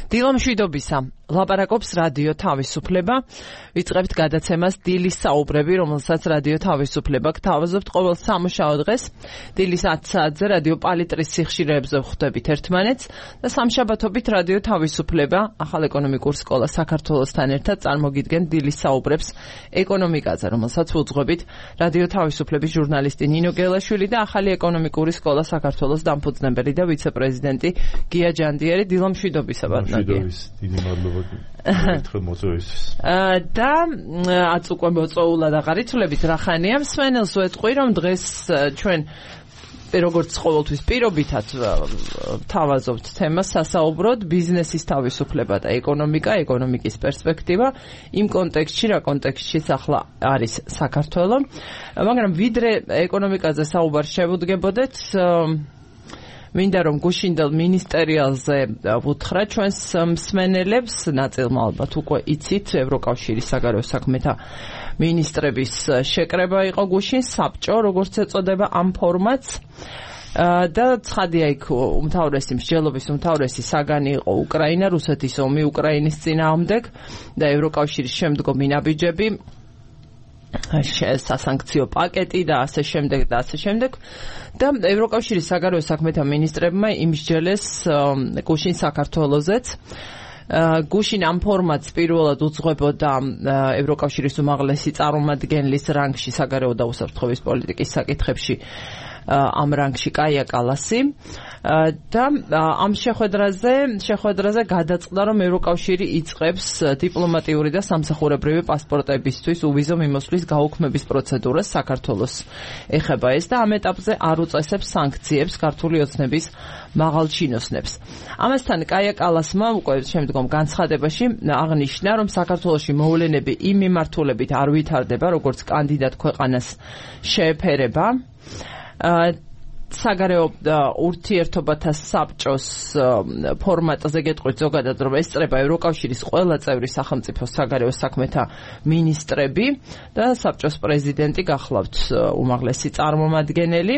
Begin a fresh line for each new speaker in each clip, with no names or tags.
დილამშვიდობისა, ლაპარაკობს რადიო თავისუფლება. ვიწყებთ გადაცემას დილის საუბრები, რომელსაც რადიო თავისუფლება გთავაზობთ ყოველ სამუშაო დღეს. დილის 10 საათზე რადიო პალიტრის სიხშირეებზე ვხვდებით ერთმანეთს და სამშაბათობით რადიო თავისუფლება ახალ ეკონომიკურ სკოლა საქართველოსთან ერთად წარმოგიდგენ დილის საუბრებს ეკონომიკაზე, რომელსაც უძღვებით რადიო თავისუფლების ჟურნალისტი ნინო გელაშვილი და ახალი ეკონომიკური სკოლა საქართველოს დამფუძნებელი და ვიცე-პრეზიდენტი გია ჯანდიერი. დილამშვიდობისა, ბატონო.
დიდი მადლობა ერთხელ მოწვევისთვის.
და აც უკვე მოწვეულად აღარ იცვლებით რა ხანია მსმენელს ვეთყვი რომ დღეს ჩვენ როგორც ყოველთვის პირობითად თავაზობთ თემას სასაუბროდ ბიზნესის თავისუფლება და ეკონომიკის პერსპექტივა იმ კონტექსტში რა კონტექსტშიც ახლა არის საქართველო, მაგრამ ვიდრე ეკონომიკაზე საუბარს შევუდგებოდეთ მინდა რომ გუშინდელ მინისტერიალზე ვუთხრა ჩვენს მსმენელებს, ნაწილმა ალბათ უკვე იცით, ევროკავშირის საგარეო საქმეთა მინისტრების შეკრება იყო გუშინ, საბჭო, როგორც ეწოდება ამ ფორმატს. და ცხადია იქ მსჯელობის უმთავრესი საგანი იყო უკრაინა, რუსეთის ომი უკრაინის წინააღმდეგ და ევროკავშირის შემდგომი ნაბიჯები, სასანქციო პაკეტი და ასე შემდეგ და ევროკავშირის საგარეო საქმეთა მინისტრებმა იმსჯელეს გუშინ საქართველოზეც. გუშინ ამ ფორმატს პირველად უძღვებოდა ევროკავშირის უმაღლესი წარმომადგენლის რანგში საგარეო და უსაფრთხოების პოლიტიკის საკითხებში ამ რანგში კაია კალასი და ამ შეხვედრაზე გადაწყდა რომ ევროკავშირი იწყებს დიპლომატიური და სამსახურებრივი პასპორტებისთვის უვიზო მიმოსვლის გაუქმების პროცედურას საქართველოს ეხება ეს და ამ ეტაპზე არ უწესებს სანქციებს ქართული ოცნების მაღალჩინოსნებს. ამასთან კაია კალასმა უკვე შემდგომ განცხადებაში აღნიშნა რომ საქართველოში მოვლენები იმ მიმართულებით არ ვითარდება როგორც კანდიდატ ქვეყანას შეეფერება. საგარეო ურთიერთობათა საბჭოს ფორმატზე გეტყვით ზოგადად რომ ესწრება ევროკავშირის ყველა წევრი სახელმწიფოს საგარეო საქმეთა მინისტრები და საბჭოს პრეზიდენტი გახლავთ უმაღლესი წარმომადგენელი.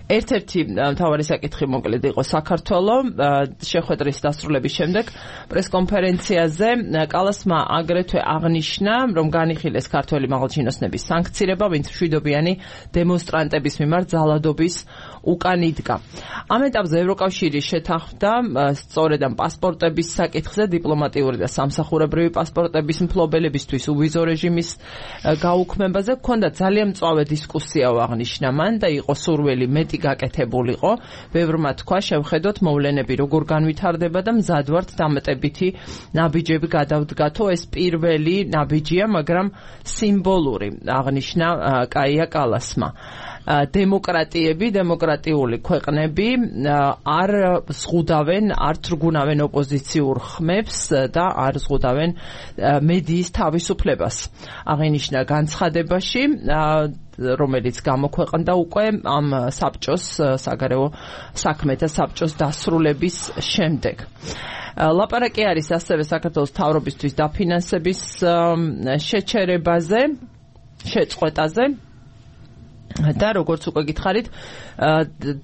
ერთ-ერთი მთავარი საკითხი მოკლედ იყო საქართველო. შეხვედრის დასრულების შემდეგ პრესკონფერენციაზე კალასმა აგრეთვე აღნიშნა, რომ განიხილეს ქართველი მაღალჩინოსნების სანქცირება, ვინც მშვიდობიანი დემონსტრანტების მიმართ ძალადობის უკან იდგა. ამ ეტაპზე ევროკავშირი შეთანხმდა სწორედ ამ პასპორტების საკითხზე, დიპლომატიური და სამსახურებრივი პასპორტების მფლობელებისთვის უვიზო რეჟიმის გაუქმებაზე. ჰქონდა ძალიან მწვავე დისკუსია აღნიშნა მან და იყო სურვილი მეტი გაკეთებულიყო. ბევრმა თქვა შევხედოთ მოვლენები როგორ განვითარდება და მზად ვართ დამატებითი ნაბიჯები გადავდგათო. ეს პირველი ნაბიჯია, მაგრამ სიმბოლური, აღნიშნა კაია კალასმა. დემოკრატიული ქვეყნები არ ზღუდავენ, არ თრგუნავენ ოპოზიციურ ხმებს და არ ზღუდავენ მედიის თავისუფლებას. აღინიშნა განცხადებაში, რომელიც გამოქვეყნდა უკვე ამ საბჭოს, საგარეო საქმეთა საბჭოს დასრულების შემდეგ. ლაპარაკი არის ასევე საქართველოს მთავრობისთვის დაფინანსების შეწყვეტაზე და როგორც უკვე გითხარით,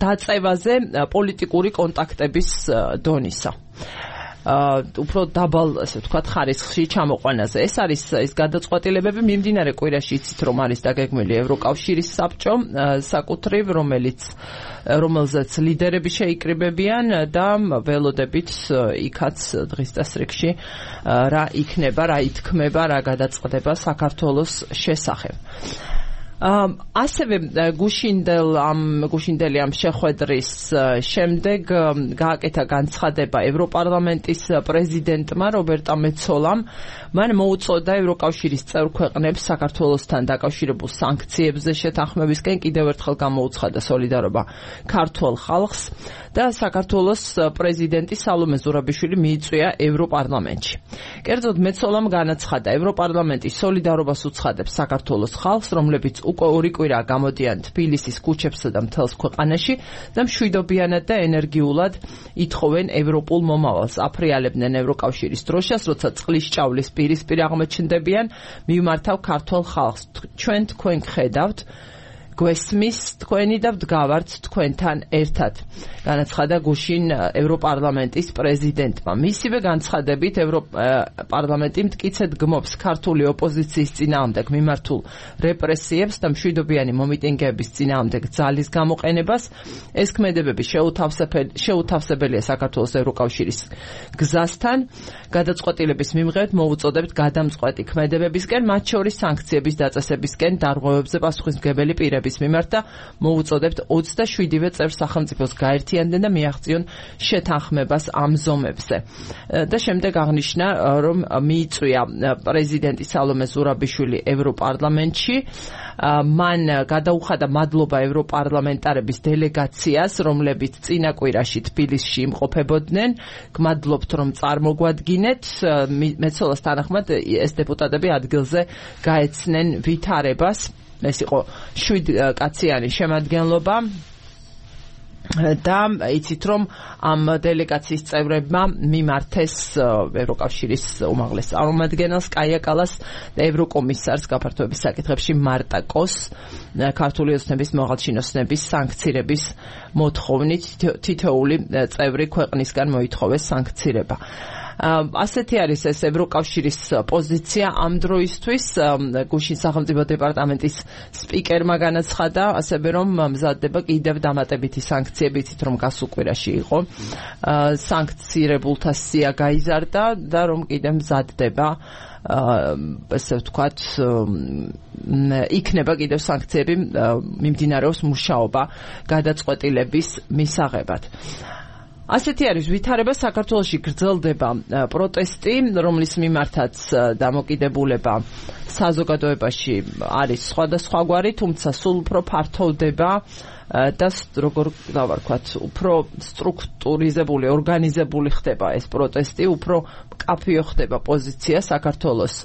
დაწევაზე პოლიტიკური კონტაქტების დონისა. უფრო დაბალ, ასე ვთქვათ, ხარისხში ჩამოყვანაზე. ეს არის ის გადაწყვეტილებები მიმდინარე კვირაში იცით რომ არის დაგეგმილი ევროკავშირის საბჭო საკუთრივ, რომელზეც ლიდერები შეიკრიბებიან და ველოდებით იქაც დღის წესრიგში რა იქნება, რა ითქმება, რა გადაწყდება საქართველოს შესახებ. ასევე გუშინდელი ამ შეხვედრის შემდეგ გააკეთა განცხადება ევროპარლამენტის პრეზიდენტმა რობერტა მეცოლამ. მან მოუწოდა ევროკავშირის წევრ ქვეყნებს საქართველოსთან დაკავშირებულ სანქციებზე შეთანხმებისკენ კიდევ ერთხელ გამოუცხადა სოლიდარობა ქართველ ხალხს და საქართველოს პრეზიდენტი სალომე ზურაბიშვილი მიიწვია ევროპარლამენტში. კერძოდ მეცოლამ განაცხადა, ევროპარლამენტი სოლიდარობას უცხადებს საქართველოს ხალხს, რომლებიც უკვე ორი კვირა გამოდიან თბილისის ქუჩებსა და მთელს ქვეყანაში და მშვიდობიანად და ენერგიულად ითხოვენ ევროპულ მომავალს. აფრიალებდნენ ევროკავშირის დროშას, როცა წყლის ჭავლის პირისპირ აღმოჩნდებიან, მივმართავ ქართულ ხალხს. ჩვენ თქვენ გხედავთ გვესმის თქვენი და ვდგავართ თქვენთან ერთად. განაცხადა გუშინ ევროპარლამენტის პრეზიდენტმა. მისივე განცხადებით ევროპარლამენტი მტკიცედ გმობს ქართული ოპოზიციის წინააღმდეგ მიმართულ რეპრესიებს და მშვიდობიანი მომიტინგეების წინააღმდეგ ძალის გამოყენებას. ეს ქმედებები შეუთავსებელია საქართველოს ევროკავშირის გზასთან. გადაწყვეტილების მიმღებით მოუწოდებთ გადამწყვეტი ქმედებებისკენ, მათ შორის სანქციების დაწესებისკენ, დარღვევებზე პასუხისმგებელი პირების მიმართ და მოუწოდებთ 27-ვე წევრ სახელმწიფოს გაერთიანდნენ და მიაღწიონ შეთანხმებას ამ ზომებზე. და შემდეგ აღნიშნა, რომ მიიწვია პრეზიდენტი სალომე ზურაბიშვილი ევროპარლამენტში. მან გადაუხადა მადლობა ევროპარლამენტარების დელეგაციას, რომლებიც წინა კვირაში თბილისში იმყოფებოდნენ. გმადლობთ, რომ წარმოგვადგინეთ. მეცოლას თანახმად ეს დეპუტატები ადგილზე გაეცნენ ვითარებას. ეს იყო 7 კაციანი შემადგენლობა. და იცით რომ ამ დელეგაციის წევრებმა მიმართეს ევროკავშირის უმაღლეს წარმომადგენელს კაია კალას და ევროკომისარს გაფართოების საკითხებში მარტა კოს ქართული ოცნების მოღალჩინოსნების სანქცირების მოთხოვნით თითოეული წევრი ქვეყნისგან მოითხოვეს სანქცირება. ასეთი არის ეს ევროკავშირის პოზიცია ამ დროისთვის. გუშინ სახელმწიფო დეპარტამენტის სპიკერმა განაცხადა ასევე რომ მზადდება კიდევ დამატებითი სანქციები, იცით რომ გასულ კვირაში იყო სანქცირებულთა სია გაიზარდა და რომ კიდევ მზადდება ესე ვთქვათ იქნება კიდევ სანქციები მიმდინარეობს მუშაობა გადაწყვეტილების მისაღებად. ასეთი არის ვითარება. საქართველოში გრძელდება პროტესტი, რომლის მიმართაც დამოკიდებულება საზოგადოებაში არის სხვადასხვაგვარი, თუმცა სულ უფრო ფართოვდება და როგორ დავარქვათ, უფრო სტრუქტურიზებული, ორგანიზებული ხდება ეს პროტესტი, უფრო მკაფიო ხდება პოზიცია საქართველოს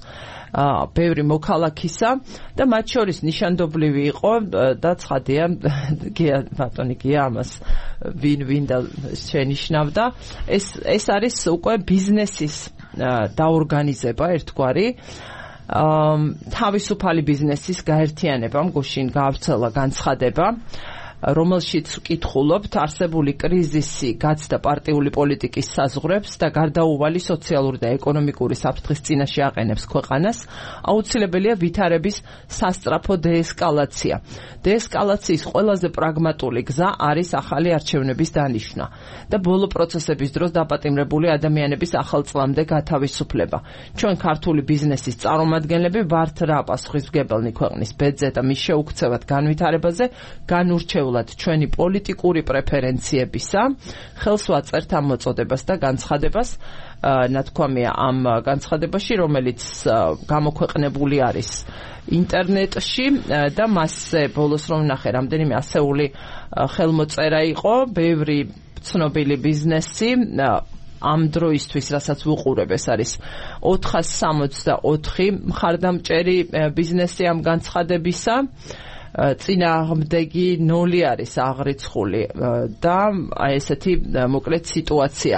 ბევრი მოქალაქისა და მათ შორის ნიშანდობლივი იყო და ცხადია ბატონი გია ამას ვინ და შენიშნავდა. ეს არის უკვე ბიზნესის დაორგანიზება ერთგვარი. თავისუფალი ბიზნესის გაერთიანებამ გუშინ გაავრცელა განცხადება, რომელშიც ვკითხულობთ არსებული კრიზისი გაცდა პარტიული პოლიტიკის საზღვრებს და გარდაუვალი სოციალური და ეკონომიკური საფრთხის წინაშე აყენებს ქვეყანას. აუცილებელია ვითარების სასწრაფო დეესკალაცია. დეესკალაციის ყველაზე პრაგმატული გზა არის ახალი არჩევნების დანიშვნა და ბოლო პროცესების დროს დაპატიმრებული ადამიანების ახალ წლამდე გათავისუფლება. ჩვენ ქართული ბიზნესის წარმომადგენლები ვართ რა პასუხისმგებელნი ქვეყნის ბედზე და მის შეუქცევად განვითარებაზე განურჩევლად ჩვენი პოლიტიკური პრეფერენციებისა. ხელს ვაწერთ ამ მოწოდებას და განცხადებას. ნათქვამია ამ განცხადებაში, რომელიც გამოქვეყნებული არის ინტერნეტში და მასზე ბოლოს რომ ნახე რამდენიმე ასეული ხელმოწერა იყო, ბევრი ცნობილი ბიზნესი ამ დროისთვის, რასაც ვუყურებ, ეს არის 464 მხარდამჭერი ბიზნესი ამ განცხადებისა. წინააღმდეგი 0 არის აღრიცხული და აი ესეთი მოკლედ სიტუაცია.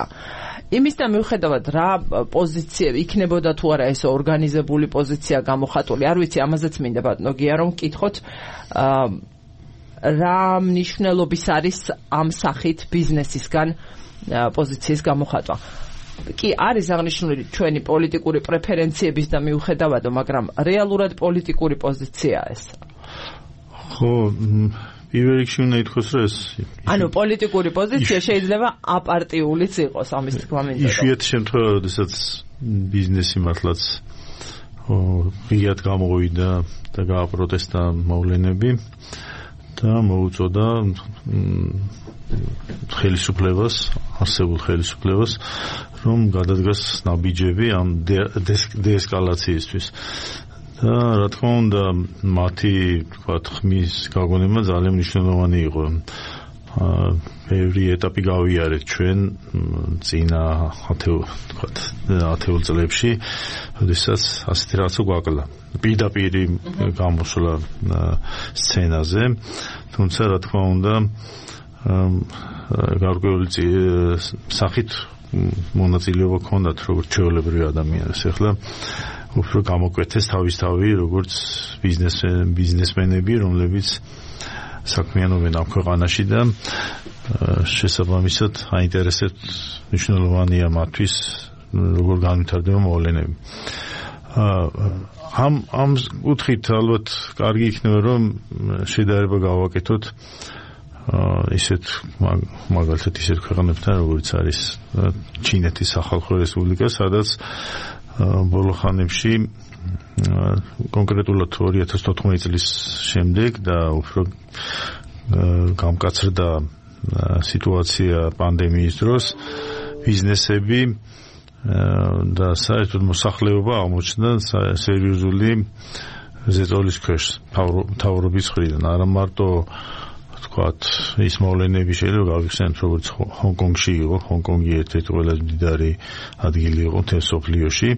იმის და მიუხედავად რა პოზიცია იქნებოდა თუ არა ეს ორგანიზებული პოზიცია გამოხატული, არ ვიცი, ამაზეც მინდა ბატონო გია რომ ვკითხოთ რა მნიშვნელობის არის ამ სახით ბიზნესისგან პოზიციის გამოხატვა. კი არის აღნიშნული ჩვენი პოლიტიკური პრეფერენციების და მიუხედავადო, მაგრამ რეალურად პოლიტიკური პოზიცია ეს.
ხო, პირველ რიგში უნდა ითქვას, რომ ეს
ანუ პოლიტიკური პოზიცია შეიძლება აპარტიულიც იყოს, ამის თქმა მინდოდა.
იშვიათი შემთხვევა, როდესაც ბიზნესი მართლაც ღიად გამოვიდა და გააპროტესტა მოვლენები და მოუწოდა ხელისუფლებას, არსებულ ხელისუფლებას, რომ გადადგას ნაბიჯები ამ დეესკალაციისთვის. და რა თქმა უნდა, მათი თქვათ ხმის გაგონება ძალიან მნიშვნელოვანი იყო. ბევრი ეტაპი გავიარეთ ჩვენ წინა 10 წლებში, როდესაც ასეთი რაღაცა გვაკლა. პირდაპირი გამოსვლა სცენაზე, თუმცა რა თქმა უნდა, გარკვეული სახით მონაწილეობა ჰქონდათ როგორც ჩვეულებრივი ადამიანებს. ახლა უფრო გამოკვეთეს თავისთავი როგორც ბიზნესმენები, რომლებიც საქმიანობენ ამ ქვეყანაში და შესაბამისად აინტერესებთ მნიშვნელოვანია მათთვის როგორ განვითარდება მოვლენები. ამ კუთხით ალბათ კარგი იქნება რომ შედარება გავაკეთოთ ისეთ მაგალითად ისეთ ქვეყნებთან როგორც არის ჩინეთის სახალხო რესპუბლიკა, სადაც ბოლო ხანებში კონკრეტულად 2014 წლის შემდეგ და უფრო გამკაცრდა სიტუაცია პანდემიის დროს ბიზნესები და საერთოდ მოსახლეობა აღმოჩნდა სერიოზული ზეწოლის ქვეშ მთავრობის მხრიდან. არა მარტო თქვათ ის მოვლენები შეიძლება გავიხსენოთ როგორც ჰონკონგში იყო, ჰონკონგი ერთ-ერთი ყველაზე მდიდარი ადგილი იყო მთელ მსოფლიოში,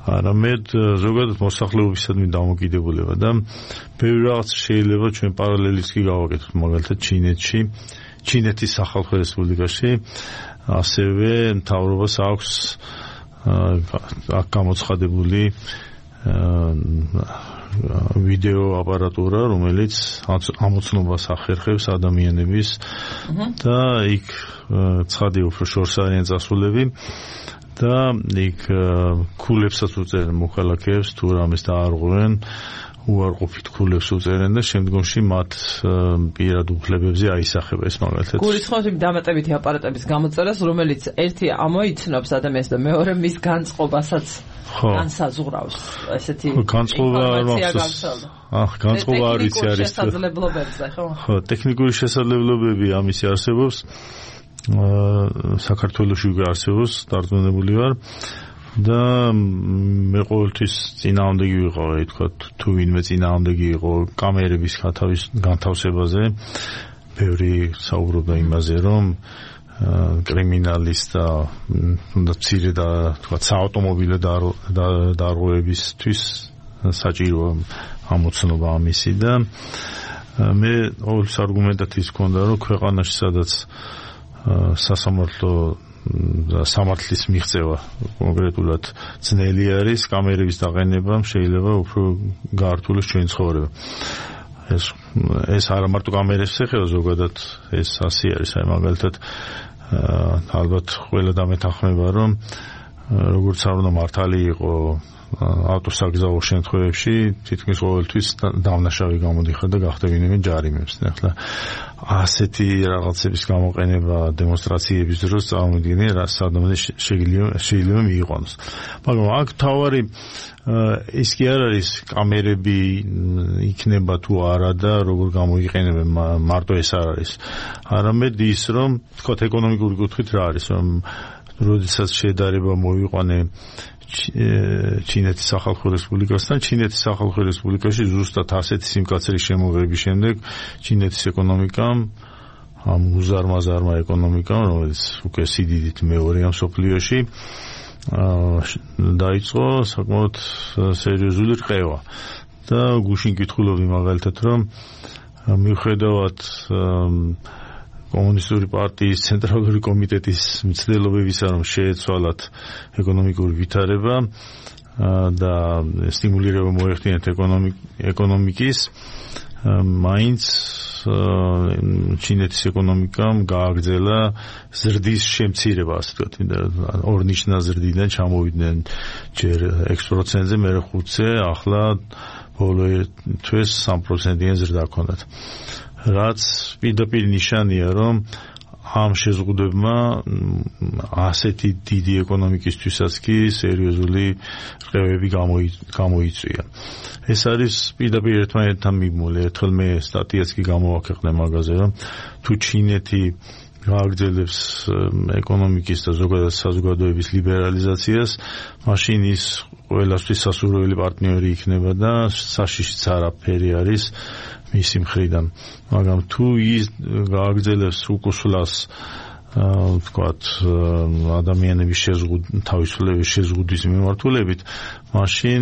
არამედ ზოგადად მოსახლეობისადმი დამოკიდებულება და ბევრი რაღაც შეიძლება ჩვენ პარალელიც კი გავაკეთოთ, მაგალითად ჩინეთის სახალხო რესპუბლიკაში ასევე მთავრობას აქვს აქ გამოცხადებული ვიდეო აპარატურა, რომელიც ამოცნობას ახერხებს ადამიანების და იქ ცხადი უფრო შორს არიან წასულები და იქ ქულებსაც უწერენ მოქალაქეებს თუ რამეს დაარღვევენ უარყოფით ქულებს უწერენ და შემდგომში მათ პირად უფლებებზე აისახება ეს მაგალითად.
გულისხმობთ იმ დამატებითი აპარატების გამოწერას, რომელიც ერთი ამოიცნობს ადამიანს და მეორე მის განწყობასაც განსაზღვრავს. ესეთი
განწყობა არ ვიცი არის
შესაძლებლობებზე, ხო?
ხო, ტექნიკური შესაძლებლობები ამისი არსებობს. საქართველოში უკვე არსებობს, დარწმუნებული ვარ. და მე ყოველთვის წინააღმდეგი ვიყავი, თქვა თუ ვინმე წინააღმდეგი იყო კამერების განთავსებაზე, ბევრი საუბრობდა იმაზე, რომ კრიმინალის და თუნდაც მცირე და თქვა საავტომობილო დარღვევებისთვის საჭიროა ამოცნობა ამისი და მე ყოველთვის არგუმენტად ის მქონდა, რომ ქვეყანაში სადაც სასამართლო სამართლის მიღწევა კონკრეტულად ძნელი არის, კამერების დაყენება შეიძლება უფრო გაართულოს ჩვენი ცხოვრება. ეს არა მარტო კამერებს ეხება, ზოგადად ეს ასე არის, აი მაგალითად ალბათ ყველა დამეთანხმება, რომ როგორც არ უნდა მართალი იყო ავტოსაგზაო შემთხვევებში, თითქმის ყოველთვის დავნაშავი გამოდიხარ და გახდებინებენ ჯარიმებს. ახლა ასეთი რაღაცების გამოყენება დემონსტრაციების დროს წარმოვიდგინე, რა სადამზე შეიძლება მიიყვანოს. მაგრამ აქ თავარი ის კი არ არის კამერები იქნება თუ არა და როგორ გამოიყენებენ, მარტო ეს არ არის. არამედ ის, რომ თქვათ ეკონომიკური კუთხით რა არის, რომ როდესაც შედარება მოვიყვანე ჩინეთის სახალხო რესპუბლიკასთან, ჩინეთის სახალხო რესპუბლიკაში ზუსტად ასეთი სიმკაცრის შემოღების შემდეგ ჩინეთის ეკონომიკამ ამ უზარმაზარმა ეკონომიკამ, რომელიც უკვე სიდიდით მეორეა მსოფლიოში, დაიწყო საკმაოდ სერიოზული რყევა. და გუშინ კითხულობდი მაგალითად, რომ მიუხედავად კომუნისტური პარტიის ცენტრალური კომიტეტის მცდელობებისა, რომ შეეცვალათ ეკონომიკური ვითარება და სტიმულირება მოეხდინათ ეკონომიკის, მაინც ჩინეთის ეკონომიკამ გააგრძელა ზრდის შემცირება, ასე ვთქვათ, ორნიშნა ზრდიდან ჩამოვიდნენ ჯერ 6%-ზე, მერე 5%-ზე, ახლა ბოლო თვეს 3%-იან ზრდა ჰქონდათ. რაც პირდაპირ ნიშანია, რომ ამ შეზღუდებმა ასეთი დიდი ეკონომიკისთვისაც კი სერიოზული რყევები გამოიწვია. ეს არის პირდაპირ ერთმანეთთან მიბმული. ერთხელ მე სტატიაც კი გამოვაქვეყნე მაგაზე, რომ თუ ჩინეთი გააგრძელებს ეკონომიკის და ზოგადად საზოგადოების ლიბერალიზაციას, მაშინ ის ყველასთვის სასურველი პარტნიორი იქნება და საშიშიც არაფერი არის მისი მხრიდან. მაგრამ თუ ის გააგრძელებს უკუსლას ვთქვათ, ადამიანების თავისუფლების შეზღუდვის მიმართულებით, მაშინ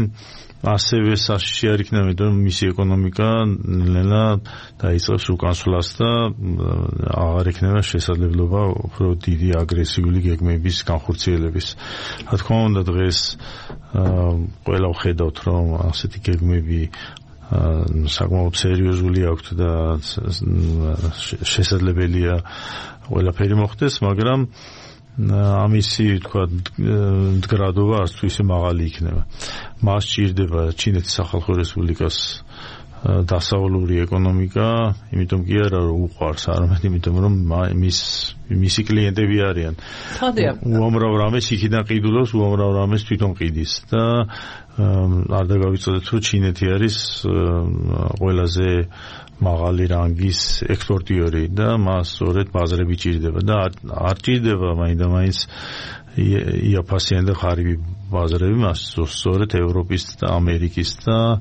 ასევე საშიში არ იქნება, იმიტომ რომ მისი ეკონომიკა ნელა დაიწყებს უკანსვლას და აღარ იქნება შესაძლებლობა უფრო დიდი აგრესიული გეგმების განხორციელების. რა თქმა უნდა, დღეს ყველა ვხედავთ, რომ ასეთი გეგმები საკმაოდ სერიოზული აქვთ და შესაძლებელია ყველაფერი მოხდეს, მაგრამ ამისი თქვა მდგრადობა არც თუ ისე მაღალი იქნება. მას სჭირდება ჩინეთის სახალხო რესპუბლიკას დასავლური ეკონომიკა, იმიტომ კი არა რომ უყვარს, არამედ იმიტომ რომ მისი კლიენტები არიან. უამრავ რამეს იქიდან ყიდულობს, უამრავ რამეს თვითონ ყიდის და არ დაგავიწოდეთ რომ ჩინეთი არის ყველაზე მაღალი რანგის ექსპორტიორი და მას სწორედ ბაზრები ჭირდება და არ ჭირდება მაინდა-მაინც იაფასიანი და ღარიბი ბაზრები, მას სწორედ ევროპის და ამერიკის და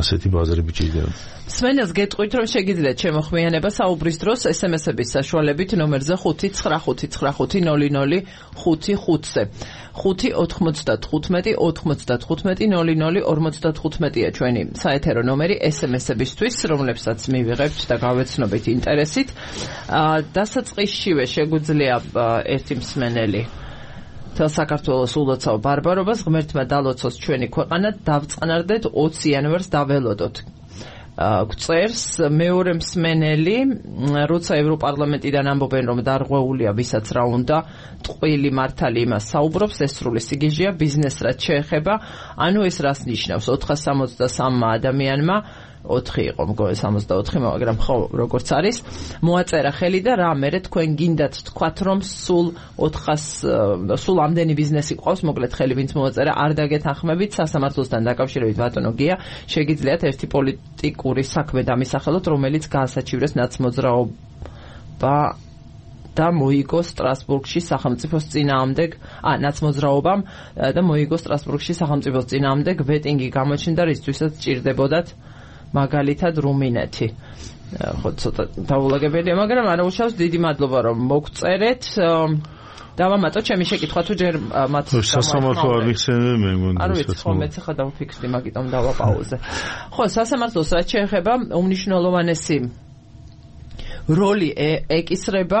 ასეთი ბაზრები ჭირდება.
სვენელს გეტყვით, რომ შეგიძლიათ შემოხმიანება საუბრის დროს SMS-ების საშუალებით ნომერზე 595500555-ზე. 595-95-95-00-55-ია ჩვენი საეთერო ნომერი SMS-ებისთვის, რომლებსაც მივიღებთ და გავეცნობით ინტერესით. დასაწყისშივე შეგვიძლია ერთი მსმენელი თელ საქართველოს ულოცავ ბარბარობას ღმერთმა დალოცოს ჩვენი ქვეყანა, დავწყნარდეთ 20 იანვარს დაველოდოთ. გწერს მეორე მსმენელი, როცა ევროპარლამენტიდან ამბობენ, რომ დარღვეულია ვისაც რა უნდა, ტყვილი მართალი იმას საუბრობს, ეს სრული სიგიჟეა, ბიზნესს რაც შეეხება, ანუ ეს რას ნიშნავს 463 ადამიანმა 4 იყო მგონი 64, მაგრამ ხო როგორც არის, მოაწერა ხელი და რა მერე თქვენ გინდათ თქვათ, რომ სულ ამდენი ბიზნესი ყავს, მოკლედ ხელი ვინც მოაწერა, არ დაგეთანხმებით სასამართლოსთან დაკავშირებით ბატონო გია, შეგიძლიათ ერთი პოლიტიკური საქმე დამისახელოთ, რომელიც გაასაჩივრეს ნაცმოძრაობა და მოიგო სტრასბურგში სახელმწიფოს წინააღმდეგ, ნაცმოძრაობამ და მოიგო სტრასბურგში სახელმწიფოს წინააღმდეგ ვეტინგი გამოჩნდა, რისთვისაც ჭირდებოდათ მაგალითად რუმინეთი. ხო ცოტა დაულაგებელია, მაგრამ არა უშავს, დიდი მადლობა რომ მოგწერეთ. დავამატოთ ჩემი შეკითხვა თუ ჯერ მათ
სასამართლო არ მიხსენე მე მგონი.
არ ვიცი, ხო მეც ხა დავფიქსდი, მაგიტომ დავაპაუზე. ხო, სასამართლოს რაც შეეხება უმნიშვნელოვანესი როლი ეკისრება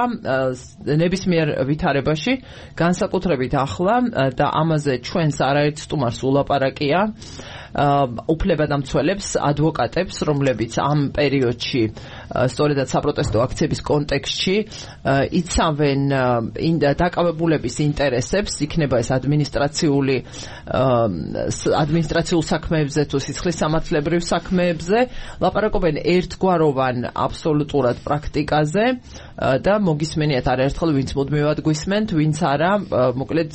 ნებისმიერ ვითარებაში, განსაკუთრებით ახლა და ამაზე ჩვენს არაერთ სტუმარს ულაპარაკია უფლებადამცველებს, ადვოკატებს, რომლებიც ამ პერიოდში სწორედად საპროტესტო აქციების კონტექსტში იცავენ დაკავებულების ინტერესებს, იქნება ეს ადმინისტრაციულ საქმეებზე თუ სისხლისამართლებრივ საქმეებზე, ლაპარაკობენ ერთგვაროვან აბსოლუტურად პრაქტიკაზე და მოგისმენიათ არაერთხელ, ვინც მუდმივად გვისმენთ, ვინც არა, მოკლედ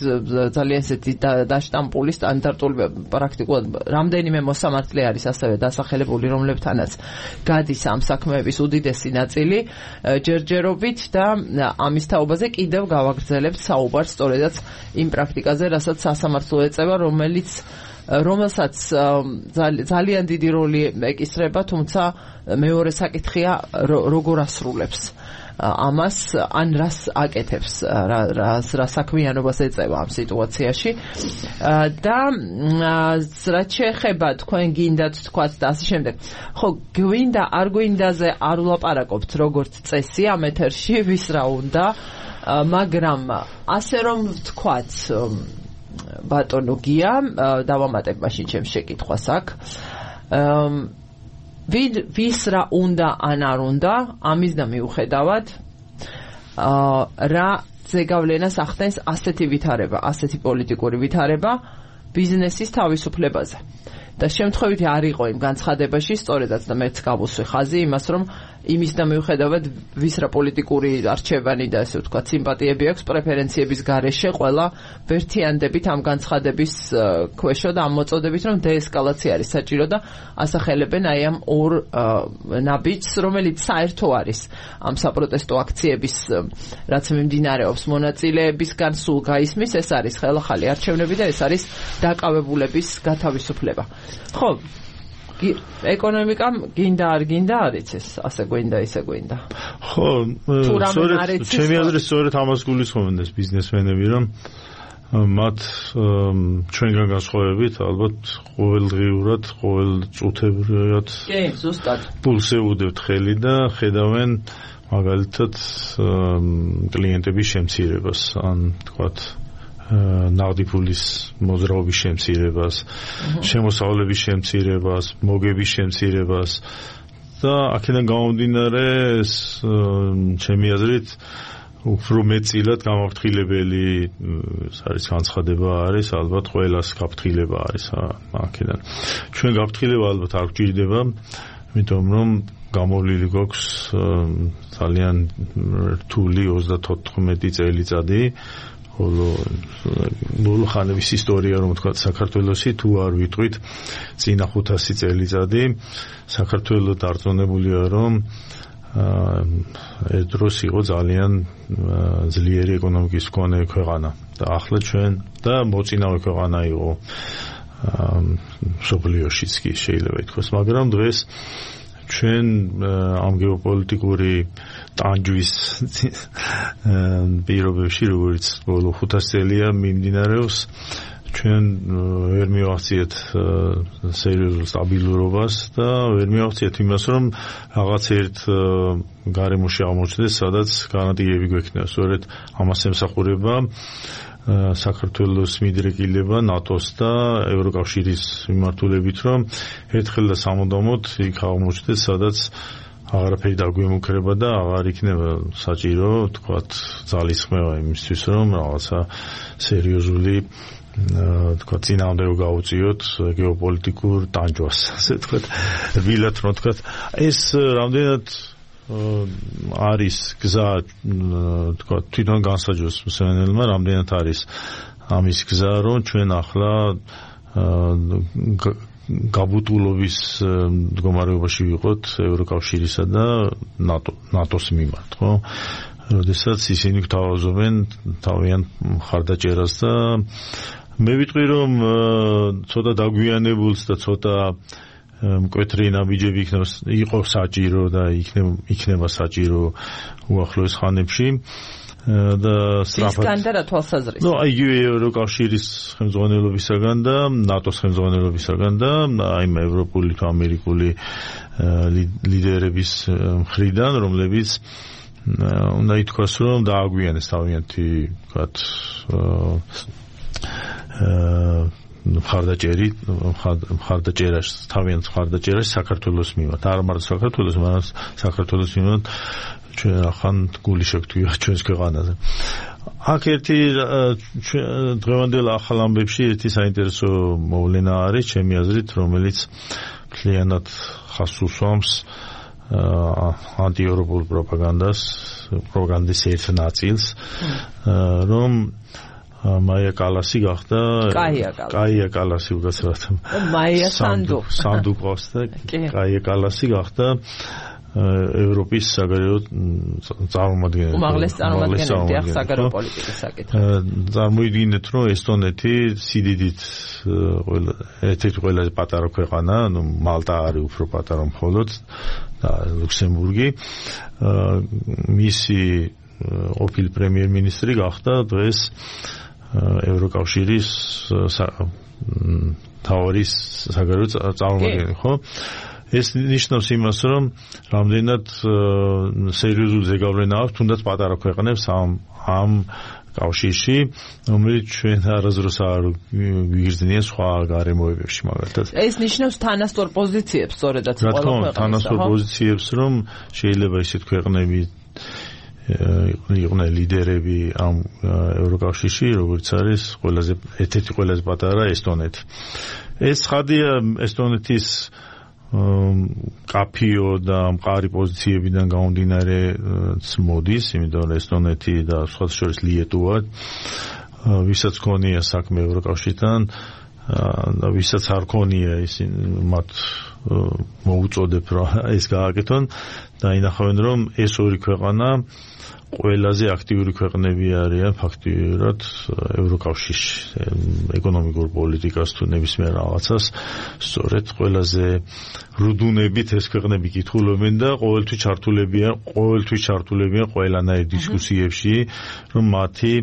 ძალიან ესეთი დაშტამპული სტანდარტული პრაქტიკულად რამდენიმე მოსამართლე არის ასევე დასახელებული, რომლებთანაც გადის ამ საქმეების უდიდესი ნაწილი ჯერჯერობით და ამის თაობაზე კიდევ გავაგრძელებთ საუბარს სწორედაც იმ პრაქტიკაზე, რასაც სასამართლო ეწევა, რომელსაც ძალიან დიდი როლი ეკისრება, თუმცა მეორე საკითხია როგორ ასრულებს ამას, ან რას აკეთებს, რა საქმიანობას ეწევა ამ სიტუაციაში და რაც შეეხება თქვენ გინდათ თქვათ და ასე შემდეგ. ხო, გვინდა არ გვინდაზე არ ვლაპარაკობთ როგორც წესი ამ ეთერში, ვის რა უნდა, მაგრამ ასე რომ ვთქვათ ბატონო გია, დავამატებ მაშინ ჩემს შეკითხვას აქ. ვის რა უნდა ან არ უნდა, ამის და მიუხედავად რა ზეგავლენას ახდენს ასეთი ვითარება, ასეთი პოლიტიკური ვითარება ბიზნესის თავისუფლებაზე. და შემთხვევითი არ იყო იმ განცხადებაში, სწორედაც და მეც გავუსვი ხაზი იმას, რომ იმის და მიუხედავად ვის რა პოლიტიკური არჩევანი და ესე ვთქვათ სიმპათიები აქვს პრეფერენციების გარეშე, ყველა ვერთიანდებით ამ განცხადების ქვეშო და ამ მოწოდებით, რომ დეესკალაცია არის საჭირო და ასახელებენ აი ამ ორ ნაბიჯს, რომელიც საერთო არის ამ საპროტესტო აქციების რაც მიმდინარეობს მონაწილეებისგან სულ გაისმის, ეს არის ხელახალი არჩევნები და ეს არის დაკავებულების გათავისუფლება. ხო, ეკონომიკამ გინდა არ გინდა არის ეს ასე გვინდა ისე გვინდა.
ხო, სწორედ ჩემი აზრით სწორედ ამას გულისხმობენ ეს ბიზნესმენები, რომ მათ ჩვენგან განსხვავებით ალბათ ყოველდღიურად, ყოველწუთებრივად
ზუსტად
პულს ეუდებთ ხელი და ხედავენ მაგალითად კლიენტების შემცირებას, ან თქვათ ნაღდი ფულის მოძრაობის შემცირებას, შემოსავლების შემცირებას, მოგების შემცირებას და აქედან გამომდინარე ჩემი აზრით უფრო მეტწილად გამაფრთხილებელი არის განცხადება არის ალბათ ყველას გაფრთხილება არის აქედან. ჩვენ გაფრთხილება ალბათ არ გვჭირდება, იმიტომ რომ გამოვლილი გვაქვს ძალიან რთული 34 წელიწადი, ბოლო ხანების ისტორია რომ თქვა საქართველოსი, თუ არ ვიტყვით წინა 500 წელიწადი, საქართველო დარწმუნებულია რომ ეს დროს იყო ძალიან ძლიერი ეკონომიკის მქონე ქვეყანა და ახლა ჩვენ და მოწინავე ქვეყანა იყო მსოფლიოშიც კი შეიძლება ითქვას, მაგრამ დღეს ჩვენ ამ გეოპოლიტიკური ტანჯვის პირობებში, როგორც ბოლო 500 წელია მიმდინარეობს, ჩვენ ვერ მივახციეთ სერიოზულ სტაბილურობას და ვერ მივახციეთ იმას, რომ რაღაც ერთ გარემოში აღმოჩნდეს, სადაც გარანტიები გვექნება. სწორედ ამას ემსახურება საქართველოს მიდრეკილება ნატოს და ევროკავშირის მიმართულებით, რომ ერთხელ და სამუდამოდ იქ აღმოჩნდეს, სადაც აღარაფერი დაგვემუქრება და აღარ იქნება საჭირო, თქვათ, ძალისხმევა იმისთვის, რომ რაღაცა სერიოზული თქვა წინააღმდეგო გაუწიოთ გეოპოლიტიკურ ტანჯვას, ასე თქვათ, ვილად რომ თქვათ, ეს რამდენად არის გზა, თქვა თვითონ განსაჯოს მსმენელმა, რამდენად არის ამის გზა, რომ ჩვენ ახლა გაბუტულობის მდგომარეობაში ვიყოთ ევროკავშირისა და ნატოს მიმართ, ხო? როდესაც ისინი გვთავაზობენ თავიანთ მხარდაჭერას და მე ვიტყვი რომ ცოტა დაგვიანებულს და ცოტა მკვეთრი ნაბიჯები იყო საჭირო და იქნება საჭირო უახლოეს ხანებში და სწრაფად. ისგან და რა თვალსაზრისით? აი ევროკავშირის ხელმძღვანელობისაგან და ნატოს ხელმძღვანელობისაგან და აი ევროპული თუ ამერიკული ლიდერების მხრიდან, რომლებიც უნდა ითქვას, რომ დააგვიანეს თავიანთი, ვთქვათ, მხარდაჭერას საქართველოს მიმართ, არ მარტო საქართველოს, მაგრამ საქართველოს მიმართ ჩვენ ახან გული შეგვთქვია ჩვენს ქვეყანაზე. აქ ერთი დღევანდელ ახალ ამბებში ერთი საინტერესო მოვლენა არის, ჩემი აზრით, რომელიც მთლიანად ხაზს უსვამს ანტიევროპულ პროპაგანდის ერთ ნაწილს, რომ მაია კალასი გახდა კაია კალასი უბრალოდ
მაია სანდუ
ყავს და კაია კალასი გახდა ევროპის საგარეო წარმომადგენელი.
უმაღლეს წარმომადგენელი ახ საგარეო პოლიტიკის საკითხი.
წარმოიდგინეთ, რომ ესტონეთი სიდიდით ერთ-ერთი ყველაზე პატარა ქვეყანა, ну მალტა არის უფრო პატარა მხოლოდ და ლუქსემბურგი. მისი ყოფილი პრემიერ-მინისტრი გახდა დღეს ევროკავშირის თავის საგარეო წარმომადგენელი, ხო? ეს ნიშნავს იმას, რომ რამდენად სერიოზული ზეგავლენა აქვს თუნდაც პატარა ქვეყნებს ამ კავშირში, რომელიც ჩვენ არასდროს არ გვიგრძნიან სხვა გარემოებებში, მაგალითად.
ეს ნიშნავს თანასწორ პოზიციებს, სწორედაც
ყველა ქვეყანას. თანასწორ პოზიციებს, რომ შეიძლება ისეთ ქვეყნები იყვნენ ლიდერები ამ ევროკავშირში, როგორც არის ერთ-ერთი ყველაზე პატარა ესტონეთი. ეს ცხადია ესტონეთის კაფიო და მყარი პოზიციებიდან გამომდინარე მოდის, იმიტომ რომ ესტონეთი და სხვა შორის ლიეტუვა, ვისაც ქონია საქმე ევროკავშირთან, და ვისაც არ ქონია ისინი მათ მოუწოდებ რომ ეს გააკეთონ და ინახავენ რომ ეს ორი ქვეყანა ყველაზე აქტიური ქვეყნები არიან ფაქტიურად ევროკავშირში ეკონომიკურ პოლიტიკას თუ ნებისმიერ რაღაცას სწორედ ყველაზე რუდუნებით ეს ქვეყნები კითხულობენ და ყოველთვის ჩართულებიან ყველანაირ დისკუსიებში რომ მათი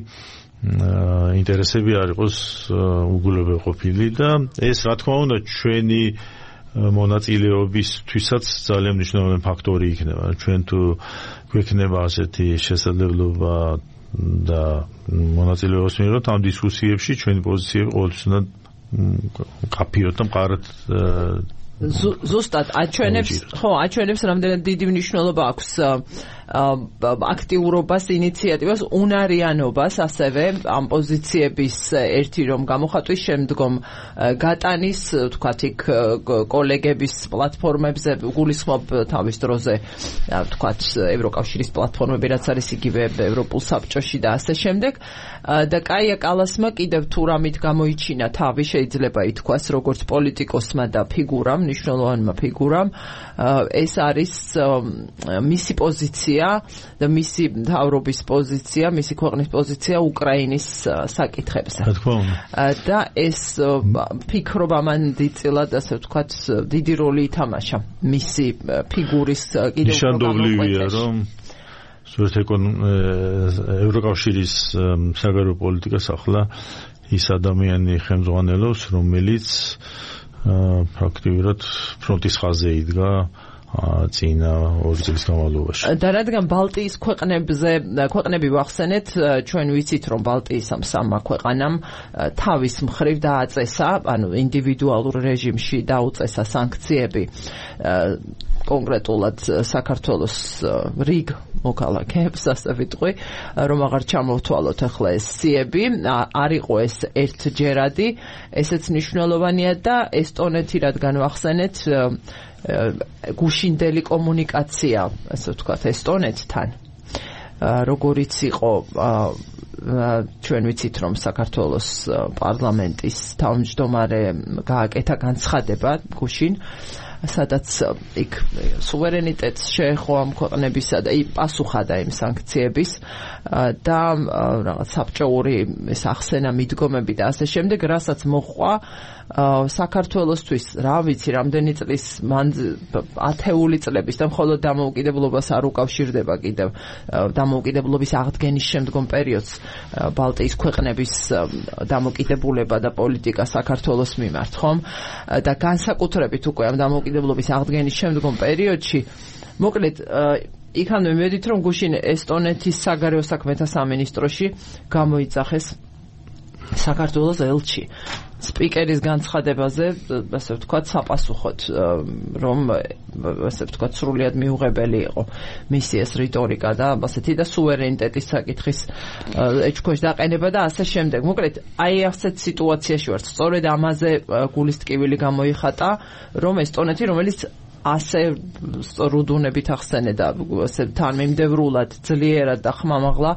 ინტერესები არ იყოს უგულებელყოფილი და ეს რა თქმა უნდა ჩვენი მონაწილეობისთვისაც ძალიან მნიშვნელოვანი ფაქტორი იქნება. ჩვენ თუ გვექნება ასეთი შესაძლებლობა და მონაწილეობას მიიღოთ ამ დისკუსიებში, ჩვენი პოზიციები ყოველთვის უნდა კაფიოთ და მყარად
ზუსტად აჩვენებს რამდენად დიდი მნიშვნელობა აქვს აქტიურობას, ინიციატივას, უნარიანობას, ასევე ამ პოზიციების ერთი რომ გამოხატვის შემდგომ გატანის, თქვათ იქ კოლეგების პლატფორმებზე გულისხმობ თავის დროზე, თქვათ ევროკავშირის პლატფორმები, რაც არის იგივე ევროპულ საბჭოში და ასე შემდეგ. და კაია კალასმა კიდევ თუ რამით გამოიჩინა თავი, შეიძლება ითქვას, როგორც პოლიტიკოსმა და ფიგურამ, მნიშვნელოვანმა ფიგურამ, ეს არის მისი პოზიცია და მისი მთავრობის პოზიცია, მისი ქვეყნის პოზიცია უკრაინის საკითხებზე. და ეს ფიქრობ ამან დიდწილად, ასე ვთქვათ, დიდი როლი ითამაშა მისი ფიგურის კიდევ
ნიშანდობლივია, რომ სწორედ ევროკავშირის საგარეო პოლიტიკას ახლა ის ადამიანი ხელმძღვანელობს, რომელიც ფაქტიურად ფრონტის ხაზზე იდგა წინა 2 წლის განმავლობაში.
და რადგან ბალტიის ქვეყნები ვახსენეთ, ჩვენ ვიცით რომ ბალტიის ამ სამმა ქვეყანამ თავის მხრივ დააწესა, ანუ ინდივიდუალურ რეჟიმში დაუწესა სანქციები კონკრეტულად საქართველოს რიგ მოქალაქეებს, ასე ვიტყვი, რომ აღარ ჩამოვთვალოთ ახლა ეს სიები, არ იყო ეს ერთჯერადი, ესეც მნიშვნელოვანია და ესტონეთი რადგან ვახსენეთ გუშინდელი კომუნიკაცია, ასე ვთქვათ, ესტონეთთან, როგორიც იყო ჩვენ ვიცით რომ საქართველოს პარლამენტის თავმჯდომარე გააკეთა განცხადება გუშინ, სადაც იქ სუვერენიტეტს შეეხო ამ ქვეყნებისა და პასუხადა იმ სანქციების და რაღაც საბჭოური ეს ახსენა მიდგომები და ასე შემდეგ, რასაც მოჰყვა საქართველოსთვის, რა ვიცი, რამდენი წლის ათეული წლების და მხოლოდ დამოუკიდებლობას არ უკავშირდება კიდევ დამოუკიდებლობის აღდგენის შემდგომ პერიოდს ბალტიის ქვეყნების დამოუკიდებულება და პოლიტიკა საქართველოს მიმართ, ხომ? და განსაკუთრებით უკვე ამ დამოუკიდებლობის აღდგენის შემდგომ პერიოდში, მოკლედ იქამდე მივედით რომ გუშინ ესტონეთის საგარეო საქმეთა სამინისტროში გამოიძახეს საქართველოს ელჩი სპიკერის განცხადებაზე, ასე ვთქვათ, საპასუხოდ, რომ ასე ვთქვათ, სრულიად მიუღებელი იყო მისი ეს რიტორიკა და ასეთი და სუვერენიტეტის საკითხის ეჭქვეშ დაყენება და ასე შემდეგ. მოკლედ, აი ასეთ სიტუაციაში ვართ. სწორედ ამაზე გულის ტკივილი გამოიხატა, რომ ესტონეთი, რომელიც ასე რუდუნებით ახსენე და ასე თანმიმდევრულად ძლიერად და ხმამაღლა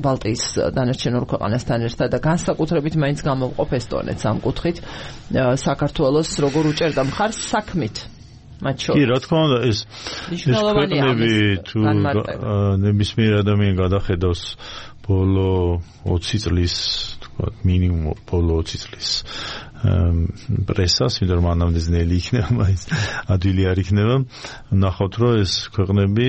ბალტიის დანარჩენ ორ ქვეყანასთან ერთად და განსაკუთრებით მაინც გამოვყოფ ესტონეთს ამ კუთხით საქართველოს როგორ უჭერდა მხარს საქმით მათ შორის.
კი, რა თქმა უნდა, ეს ქვეყნები თუ ნებისმიერ ადამიანი გადახედავს ბოლო 20 წლის, თქვათ, მინიმუმ ბოლო 20 წლის პრესას, ვიდრე მანამდე ძნელი იქნება, მაინც ადვილი არ იქნება, ნახავთ, რომ ეს ქვეყნები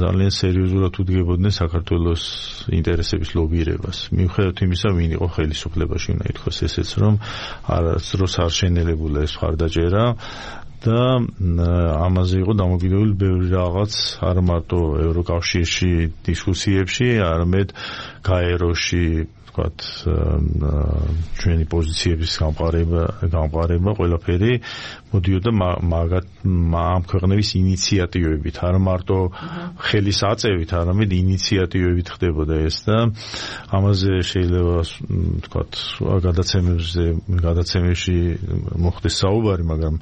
ძალიან სერიოზულად უდგებოდნენ საქართველოს ინტერესების ლობირებას. მიუხედავად იმისა, ვინ იყო ხელისუფლებაში, უნდა ითქვას ესეც, რომ არასდროს არ შენელებულა ეს მხარდაჭერა და ამაზე იყო დამოკიდებული ბევრი რაღაც, არა მარტო ევროკავშირში დისკუსიებში, არამედ გაეროში, ვთქვათ, ჩვენი პოზიციების გამყარება ყველაფერი მოდიოდა ამ ქვეყნების ინიციატივებით, არა მარტო ხელის აწევით, არამედ ინიციატივებით ხდებოდა ეს და ამაზე შეიძლება ვთქვათ გადაცემებში მოხდეს საუბარი, მაგრამ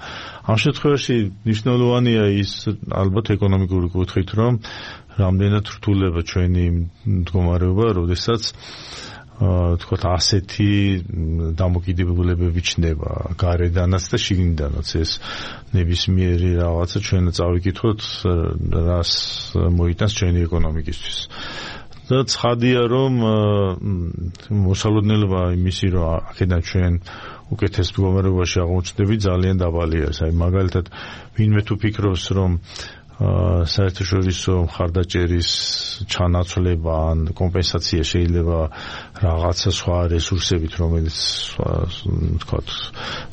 ამ შემთხვევაში მნიშვნელოვანია ის ალბათ ეკონომიკური კუთხით, რომ რამდენად რთულდება ჩვენი მდგომარეობა, როდესაც თქვათ ასეთი დამოკიდებულებები ჩნდება გარედანაც და შიგნიდანაც ეს ნებისმიერი რაღაცა ჩვენ წავიკითხოთ რას მოიტანს ჩვენი ეკონომიკისთვის და ცხადია რომ მოსალოდნელობა იმისი რომ აქედან ჩვენ უკეთეს მდგომარეობაში აღმოჩნდები ძალიან დაბალია აი მაგალითად ვინმე თუ ფიქრობს რომ საერთაშორისო მხარდაჭერის ჩანაცვლება ან კომპენსაცია შეიძლება რაღაცა სხვა რესურსებით, რომელიც თქვათ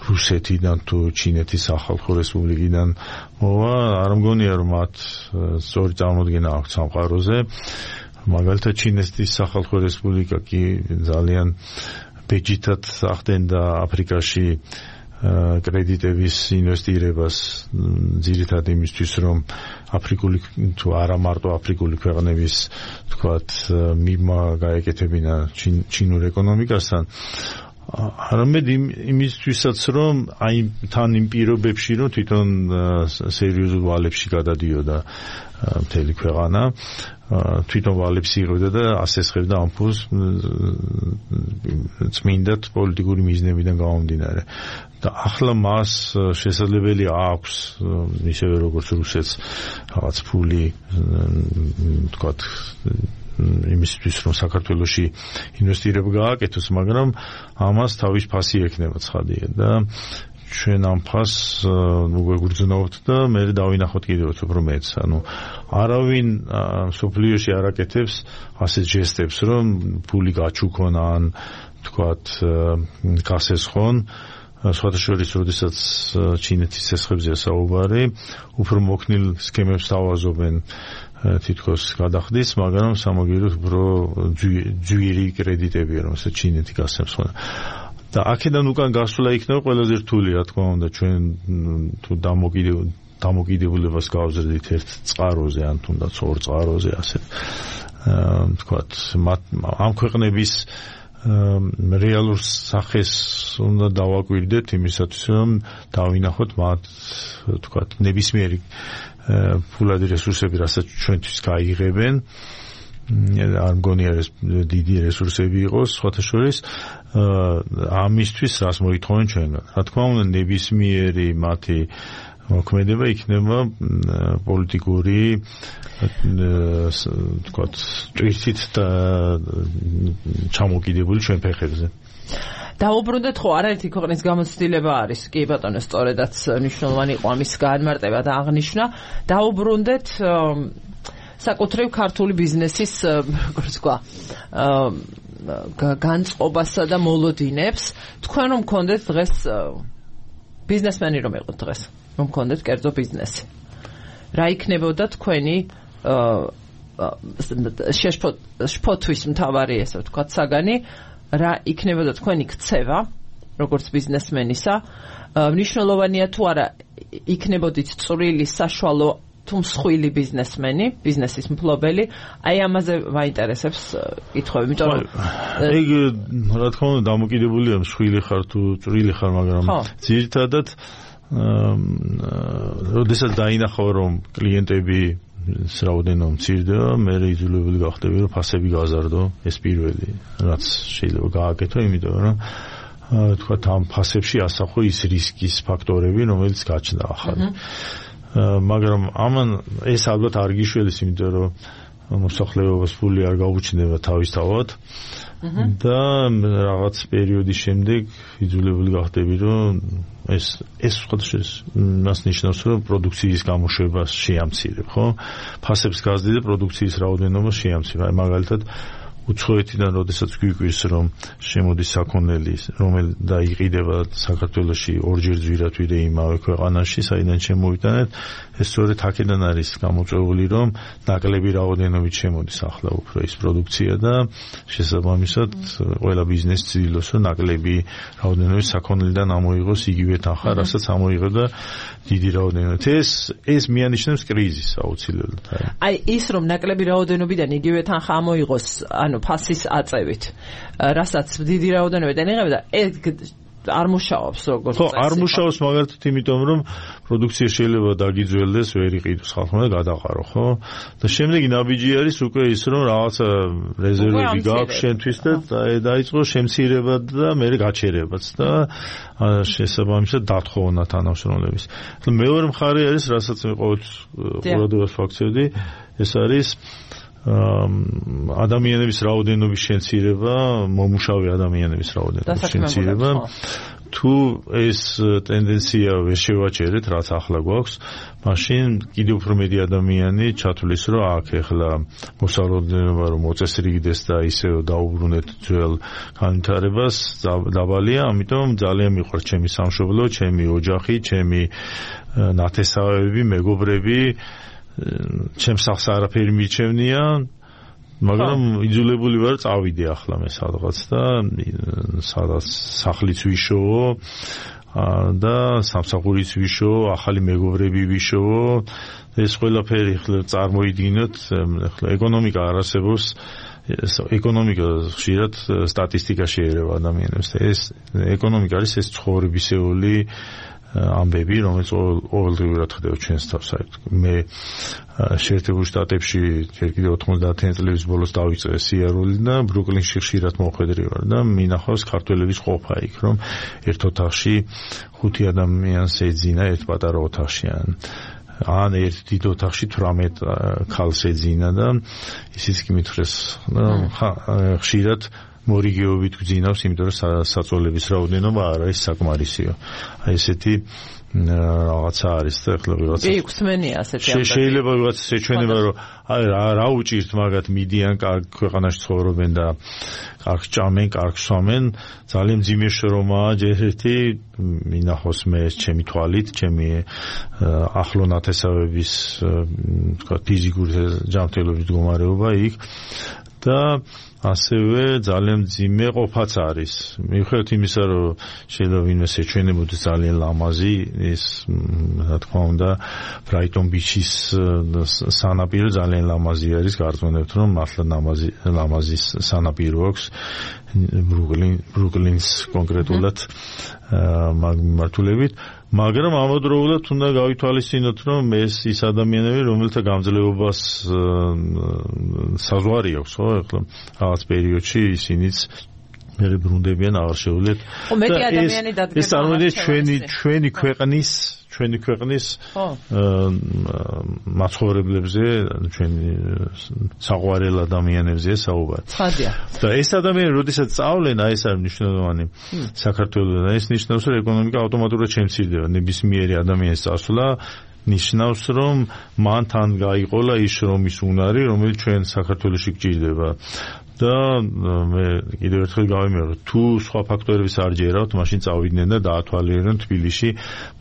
რუსეთიდან თუ ჩინეთის სახალხო რესპუბლიკიდან მოვა, არ მგონია რომ მათ სწორი წარმოდგენა აქვს სამყაროზე. მაგალითად ჩინეთის სახალხო რესპუბლიკა კი ძალიან ბეჯითად ახდენდა აფრიკაში კრედიტების ინვესტირებას ძირითადად იმისთვის რომ აფრიკული თუ არა მარტო აფრიკული ქვეყნების თქვათ მიღმა გაეკეთებინა ჩინურ ეკონომიკასთან არამედ იმისთვისაც რომ აი თან იმ პირობებში რომ თვითონ სერიოზულ ვალებში გადადიოდა მთელი ქვეყანა თვითონ ვალებს იღებდა და ასესხებდა ამ ფულს წმინდად პოლიტიკური მიზნებიდან გამომდინარე და ახლა მას შესაძლებელი აქვს ისევე როგორც რუსეთს რაღაც ფული თქვათ იმისთვის რომ საქართველოში ინვესტირება გააკეთოს მაგრამ ამას თავის ფასი ექნება ცხადია და ჩვენ ამ ფასს ვეგვიგრძნობთ და მე დავინახოთ კიდევ უფრო მეც ანუ არავინ სოფლიოში არ აკეთებს ასეთ ჟესტებს რომ ფული გაჩუქონ ან თქვათ გასესხონ სხვადასხვა როდესაც ჩინეთის ცესხებზეა საუბარი უფრო მოქნილ სქემებს თავაზობენ თითქოს გადახდის მაგრამ სამაგიეროდ უფრო ძვირი კრედიტებია რომ ესე ჩინეთი გასცემს და აქედან უკან გასვლა იქნება ყველაზე რთული რა თქმა უნდა ჩვენ თუ დამოკიდებულებას გავზრდით ერთ წყაროზე ან თუნდაც ორ წყაროზე ასე თქვათ ამ ქვეყნების რეალურ სახეს უნდა დავაკვირდეთ იმისათვის რომ დავინახოთ მათ თქვათ ნებისმიერი ფულადი რესურსები რასაც ჩვენთვის გაიღებენ არ მგონია ეს დიდი რესურსები იყოს სხვათა შორის ამისთვის რას მოითხოვენ ჩვენგან რა თქმა უნდა ნებისმიერი მათი მოქმედება იქნება პოლიტიკური თქვათ ტვირთით და ჩამოკიდებული ჩვენ ფეხებზე
დაუბრუნდეთ ხო არაერთი ქვეყნის გამოცდილება არის კი ბატონო სწორედაც მნიშვნელოვანი იყო ამის განმარტება და აღნიშვნა დაუბრუნდეთ საკუთრივ ქართული ბიზნესის როგორც თქვა განწყობასა და მოლოდინებს თქვენ რომ გქონდეთ დღეს ბიზნესმენი რომ იყოთ დღეს რომ გქონდეთ კერძო ბიზნესი რა იქნებოდა თქვენი შფოთვის მთავარი ესე ვთქვათ საგანი რა იქნებოდა თქვენი ქცევა როგორც ბიზნესმენისა მნიშვნელოვანია თუ არა იქნებოდით წვრილი საშუალო თუ მსხვილი ბიზნესმენი, ბიზნესის მფლობელი, აი ამაზე მაინტერესებს კითხვები, იმიტომ რომ
ეგ რა თქმა უნდა დამოკიდებულია მსხვილი ხარ თუ წვრილი ხარ, მაგრამ ძირითადად როდესაც დაინახავ რომ კლიენტები რაოდენობა მცირდება, მე იძულებული გახდები რომ ფასები გაზარდო, ეს პირველი, რაც შეიძლება გააკეთო, იმიტომ რომ თქვა ამ ფასებში ასახო ის რისკის ფაქტორები, რომელიც გაჩნდა ახალი. მაგრამ ამან ეს ალბათ არ გიშველის, იმიტომ რომ მოსახლეობას ფული არ გაუჩნდება თავისთავად და რაღაც პერიოდის შემდეგ იძულებული გახდები რომ ეს მას ნიშნავს რომ პროდუქციის გამოშვებას შეამცირებ, ხო? ფასებს გაზრდი და პროდუქციის რაოდენობას შეამცირებ. აი მაგალითად უცხოეთიდან როდესაც გვიკვირს რომ შემოდის საქონელი და იყიდება საქართველოში ორჯერ ძვირად ვიდრე იმავე ქვეყანაში საიდან შემოვიტანეთ ეს სწორედ აქედან არის გამოწვეული რომ ნაკლები რაოდენობით შემოდის ახლა უფრო ის პროდუქცია და შესაბამისად ყველა ბიზნესი ცდილობს რომ ნაკლები რაოდენობით საქონელიდან ამოიღოს იგივე თანხა რასაც ამოიღებდა დიდი რაოდენობით ეს მიანიშნებს კრიზისს აუცილებლად
აი ის რომ ნაკლები რაოდენობიდან იგივე თანხა ამოიღოს ფასის აწევით, რასაც დიდი რაოდენობიდან იღებდა, არ მუშაობს როგორც
ხო, არ მუშაობს მაგალითად იმიტომ რომ პროდუქცია შეიძლება დაგიძველდეს, ვერ იყიდოს ხალხმა და გადაყარო, ხო? და შემდეგი ნაბიჯი არის უკვე ის რომ რაღაცა რეზერვები გაქვს შენთვის და დაიწყო შემცირება და მე გაჩერებაც და შესაბამისად დათხოვნა თანამშრომლების. მეორე მხარე არის, რასაც მე ყოველთვის ყურადღებას ვაქცევდი, ეს არის ადამიანების რაოდენობის შემცირება, მომუშავე ადამიანების რაოდენობის შემცირება. თუ ეს ტენდენცია ვერ შევაჩერეთ, რაც ახლა გვაქვს, მაშინ კიდევ უფრო მეტი ადამიანი ჩათვლის, რომ აქ ახლა მოსალოდნელობა რომ მოწესრიგდეს და ისე დაუბრუნეთ ძველ განვითარებას დაბალია, ამიტომ ძალიან მიყვარს ჩემი სამშობლო, ჩემი ოჯახი, ჩემი ნათესავები, მეგობრები, ჩემს სახს არაფერი მიჩევნია, მაგრამ იძულებული ვარ წავიდე ახლა მე სადღაც და სადაც სახლიც ვიშოვო და სამსახურიც ვიშოვო, ახალი მეგობრები ვიშოვო. ეს ყველაფერი ახლა წარმოიდგინოთ, ახლა ეკონომიკა არ არსებობს, ეკონომიკა ხშირად სტატისტიკაში ერევა ადამიანებს და ეს ეკონომიკა არის ეს ცხოვრებისეული ამბები, რომელიც ყოველდღიურად ხდება ჩვენს თავს. მე შეერთებულ შტატებში ჯერ კიდევ 90-იან წლების ბოლოს დავიწყე სიარული და ბრუკლინში ხშირად მოხვედრი ვარ და მინახავს ქართველების ყოფა იქ, რომ ერთ ოთახში 5 ადამიანს ეძინა ერთ პატარა ოთახში ან ერთ დიდ ოთახში 18 ქალს ეძინა და ისიც კი მითხრეს ხშირად მორიგეობით გძინავს, იმიტომ რომ საწოლების რაოდენობა არ არის საკმარისიო. აი ესეთი რაღაცა არის და ახლა ვიღაცა
იქვსმენია ასეთი ამბები.
შეიძლება ვიღაცა შეჩვენება, რომ აი რა უჭირთ მაგათ მიდიან კარგ ქვეყანაში ცხოვრობენ და კარგ ჭამენ, კარგ სვამენ, ძალიან მძიმე შრომაა ჯერ ერთი მინახოს მე ჩემი თვალით, ჩემი ახლო ნათესავების თქვა ფიზიკური ჯანმრთელობის მდგომარეობა იქ და ასევე ძალიან მძიმე ყოფაც არის. მიუხედავად იმისა, რომ შეიძლება ვინმე შეჩვენებოდეს ძალიან ლამაზი, ის რა თქმა უნდა ბრაიტონ ბიჩის სანაპირო ძალიან ლამაზი არის, გარწმუნებთ რომ მართლა ლამაზი სანაპირო აქვს ბრუკლინს კონკრეტულად მართულებით, მაგრამ ამავდროულად უნდა გავითვალისწინოთ, რომ ეს ის ადამიანები, რომელთა გამძლეობას საზღვარი აქვს, ხო, ახლა რაღაც პერიოდში ისინიც მე ბრუნდებიან, აღარ შეუძლიათ.
მეტი ადამიანი დადგება.
ეს წარმოიდგინეთ ჩვენი ქვეყნის მაცხოვრებლებზე, ჩვენი საყვარელ ადამიანებზე საუბარი.
ხადია.
და ეს ადამიანები, როდესაც სწავლენ, აი ეს არის მნიშვნელოვანი საქართველოსთან. ეს ნიშნავს, რომ ეკონომიკა ავტომატურად შემცირდება. ნებისმიერი ადამიანის წასვლა ნიშნავს, რომ მან თან გაიყოლა ის შრომის უნარი, რომელიც ჩვენ საქართველოში გჭირდება. და მე კიდევ ერთხელ გავიმეორებ, თუ სხვა ფაქტორებს არ ჯერავთ, მაშინ წავიდნენ და დაათვალიერონ თბილისში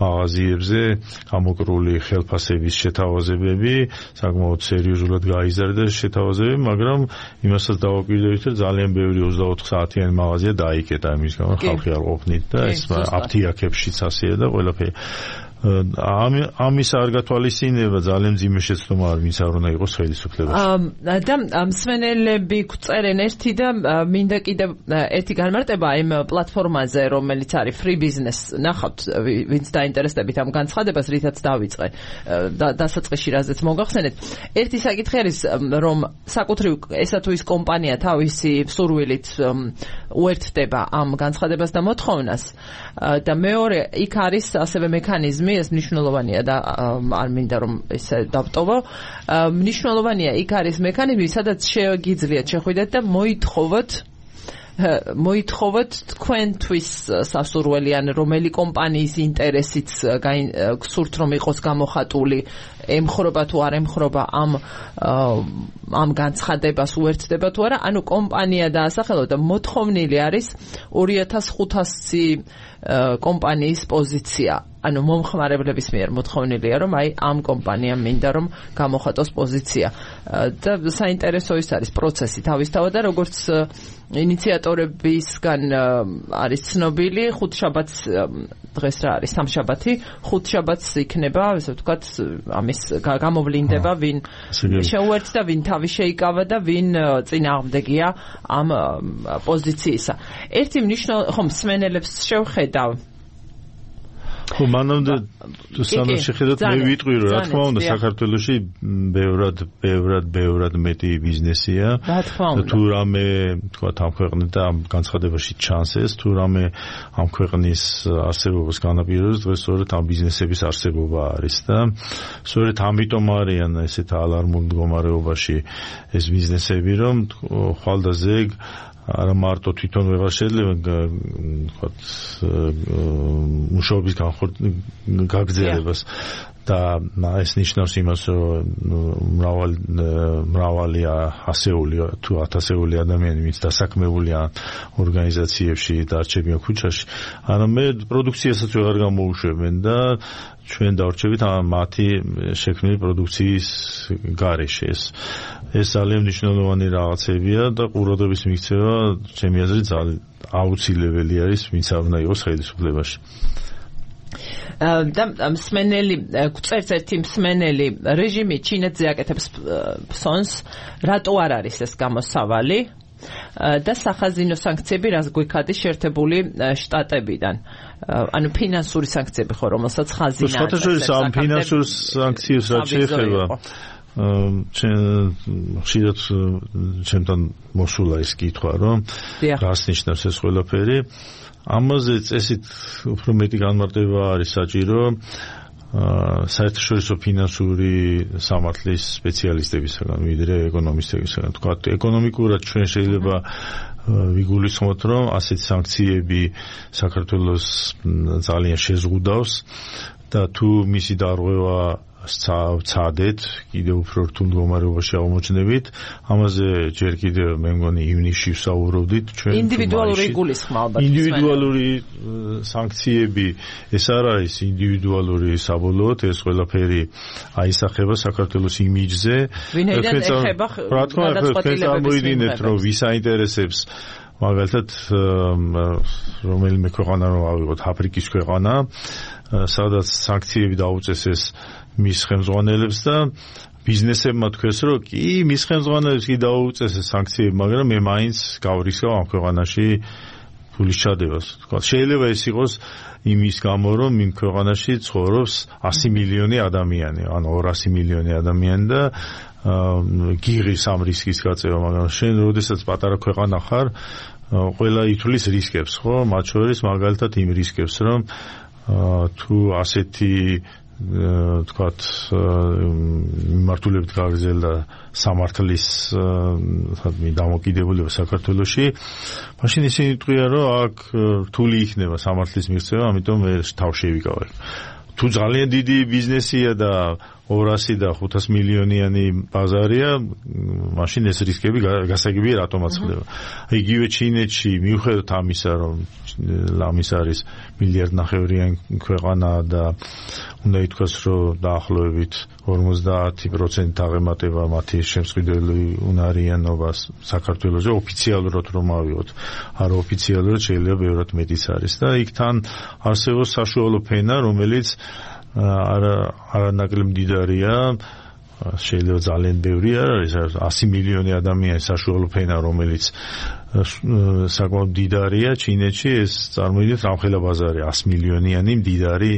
მაღაზიებზე გამოკრული ხელფასების შეთავაზებები, საკმაოდ სერიოზულად გაიზარდა შეთავაზებები, მაგრამ იმასაც დავაკვირდებით, რომ ძალიან ბევრი 24 საათიანი მაღაზია დაიკეტა იმის გამო, ხალხი არ ყოფნით და ეს აფთიაქებშიც ასეა და ყველაფერი. ამის არ გათვალისწინება ძალიან მძიმე შეცდომა არ ვინც არ უნდა იყოს ხელისუფლებაში.
და მსმენელები გვწერენ ერთი და მინდა კიდევ ერთი განმარტება იმ პლატფორმაზე, რომელიც არის free business. ნახავთ, ვინც დაინტერესდებით ამ განცხადებას, რითაც დავიწყე დასაწყისში, რაზეც მოგახსენეთ. ერთი საკითხი არის, რომ საკუთრივ ესა თუ ის კომპანია თავისი სურვილით უერთდება ამ განცხადებას და მოთხოვნას და მეორე იქ არის ასევე მექანიზმი, ეს მნიშვნელოვანია და არ მინდა რომ ესე დავტოვო. მნიშვნელოვანია იქ არის მექანიზმი, სადაც შეგიძლიათ შეხვიდეთ და მოითხოვოთ თქვენთვის სასურველი ან რომელი კომპანიის ინტერესიც გსურთ რომ იყოს გამოხატული, ემხრობა თუ არ ემხრობა ამ განცხადებას უერთდება თუ არა, ანუ კომპანია დაასახელოთ და მოთხოვნილი არის 2500 კომპანიის პოზიცია. ანუ მომხმარებლების მიერ მოთხოვნილია, რომ აი ამ კომპანიამ მინდა რომ გამოხატოს პოზიცია. და საინტერესო ის არის პროცესი თავისთავად და როგორც ინიციატორებისგან არის ცნობილი ხუთშაბათს დღეს რა არის სამშაბათი ხუთშაბათს იქნება ესე ვთქვათ ამის გამოვლინდება ვინ შეუერთდა ვინ თავი შეიკავა და ვინ წინააღმდეგია ამ პოზიციისა ერთი ხომ მსმენელებს შევხედავ
ხო მანამდე სანამ შეხედოთ მე ვიტყვი რომ რა თქმა უნდა საქართველოში ბევრად მეტი ბიზნესია თუ რამე თქვა ამ ქვეყნით და ამ განცხადებაში ჩანს ეს თუ რამე ამ ქვეყნის არსებობას განაპირობებს დღეს სწორედ ამ ბიზნესების არსებობა არის და სწორედ ამიტომ არიან ესეთ ალარმულ მდგომარეობაში ეს ბიზნესები რომ ხვალდაზეგ არა მარტო თვითონ ვეღარ შეიძლება ვთქვათ მუშაობის გაგრძელებას და ეს ნიშნავს იმას რომ მრავალი ასეული თუ ათასეული ადამიანი ვინც დასაქმებულია ორგანიზაციებში დარჩებიან ქუჩაში არამედ პროდუქციასაც ვეღარ გამოუშვებენ და ჩვენ დავრჩებით მათი შექმნილი პროდუქციის გარეშე ეს ძალიან მნიშვნელოვანი რაღაცებია და ყურადღების მიქცევა ჩემი აზრით აუცილებელი არის ვინც არ უნდა იყოს ხელისუფლებაში
და მსმენელი წერს ერთი მსმენელი რეჟიმი ჩინეთზე აკეთებს ფსონს რატო არ არის ეს გამოსავალი და სახაზინო სანქციები რას გვიქადის შეერთებული შტატებიდან ანუ ფინანსური სანქციები ხო რომელსაც ხაზინა
არის ამ ფინანსურ სანქციებს რაც შეეხება ხშირად ჩემთან მოსულა ის კითხვა რომ რას ნიშნავს ეს ყველაფერი ამაზე წესით უფრო მეტი განმარტება არის საჭირო საერთაშორისო ფინანსური სამართლის სპეციალისტებისგან ვიდრე ეკონომისტებისგან თქვა ეკონომიკურად ჩვენ შეიძლება ვიგულისხმოთ რომ ასეთი სანქციები საქართველოს ძალიან შეზღუდავს და თუ მისი დარღვევა ცადეთ კიდევ უფრო რთულ მდგომარეობაში აღმოჩნდებით ამაზე ჯერ კიდევ მე მგონი ივნისში ვსაუბრობდით ჩვენ
ინდივიდუალური გულისხმა ალბათ
ინდივიდუალური სანქციები ეს არ არის ინდივიდუალური საბოლოოდ ეს ყველაფერი აისახება საქართველოს იმიჯზე
ვინაიდან ეხება
გადაწყვეტილებებს რომ ვის აინტერესებს მაგალითად რომელიმე ქვეყანა რომ ავიღოთ აფრიკის ქვეყანა სადაც სანქციები დაუწესეს მის ხელმძღვანელებს და ბიზნესებმა თქვეს რომ კი მის ხელმძღვანელებს კი დაუწესეს სანქციები მაგრამ მე მაინც გავრისკავ ამ ქვეყანაში ფულის ჩადებას თქვა შეიძლება ეს იყოს იმის გამო რომ იმ ქვეყანაში ცხოვრობს 100 მილიონი ადამიანი ანუ 200 მილიონი ადამიანი და გიღის ამ რისკის გაწევა მაგრამ შენ როდესაც პატარა ქვეყანა ხარ ყველა ითვლის რისკებს ხო მათ შორის მაგალითად იმ რისკებს რომ თუ ასეთი თქვათ მიმართულებით გაგრძელდა სამართლის დამოკიდებულება საქართველოში მაშინ ისინი იტყვიან რომ აქ რთული იქნება სამართლის მიღწევა ამიტომ მე თავ შევიკავებ თუ ძალიან დიდი ბიზნესია და 200 და 500 მილიონიანი ბაზარია მაშინ ეს რისკები გასაგებია რატომაც ხდება იგივე ჩინეთში მიუხედავად ამისა რომ ლამის არის მილიარდნახევრიანი ქვეყანა და უნდა ითქვას რომ დაახლოებით 50% აღემატება მათი შემსყიდველი უნარიანობას საქართველოში ოფიციალურად რომ ავიღოთ არაოფიციალურად შეიძლება ბევრად მეტიც არის და იქ თან არსებობს საშუალო ფენა რომელიც არანაკლებ მდიდარია შეიძლება ძალიან ბევრი არ არის 100 მილიონი ადამიანის საშუალო ფენა რომელიც საკმაოდ მდიდარია ჩინეთში ეს წარმოიდგინეთ რამხელა ბაზარი 100 მილიონიანი მდიდარი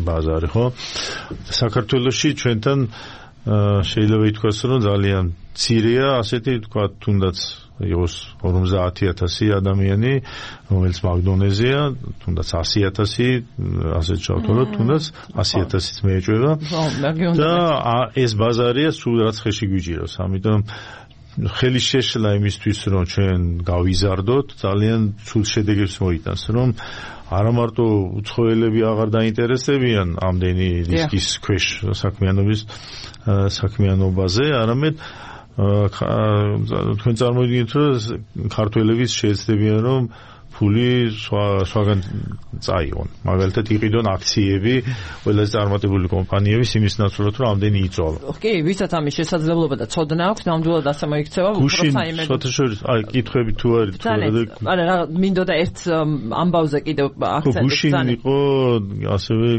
ბაზარი ხო საქართველოში ჩვენთან შეიძლება ითქვას რომ ძალიან მცირეა ასეთი თქვა თუნდაც იყოს 50000 ადამიანი რომელიც მაგდონეზია თუნდაც 100000 ასე ჩავთვალოთ თუნდაც 100000-იც მეეჭვება და ეს ბაზარია სულ რაც ხელში გვიჭირავს ამიტომ ხელი შეშლა იმისთვის რომ ჩვენ გავიზარდოთ ძალიან ცუდ შედეგებს მოიტანს რომ არა მარტო უცხოელები აღარ დაინტერესებიან ამდენი რისკის ქვეშ საქმიანობაზე არამედ თქვენ წარმოიდგინეთ რომ ქართველებიც შეეცდებიან რომ ფული სხვაგან წაიღონ. მაგალითად იყიდონ აქციები ყველაზე წარმატებული კომპანიების იმის ნაცვლად რომ ამდენი იწვალა.
კი, ვისაც ამის შესაძლებლობა და ცოდნა აქვს, ნამდვილად ასე მოიქცევა
გუშინ საერთაშორისო კითხვები თუ არის
არა მინდოდა ერთ ამბავზე კიდევ აქცენტი
გუშინ იყო ასევე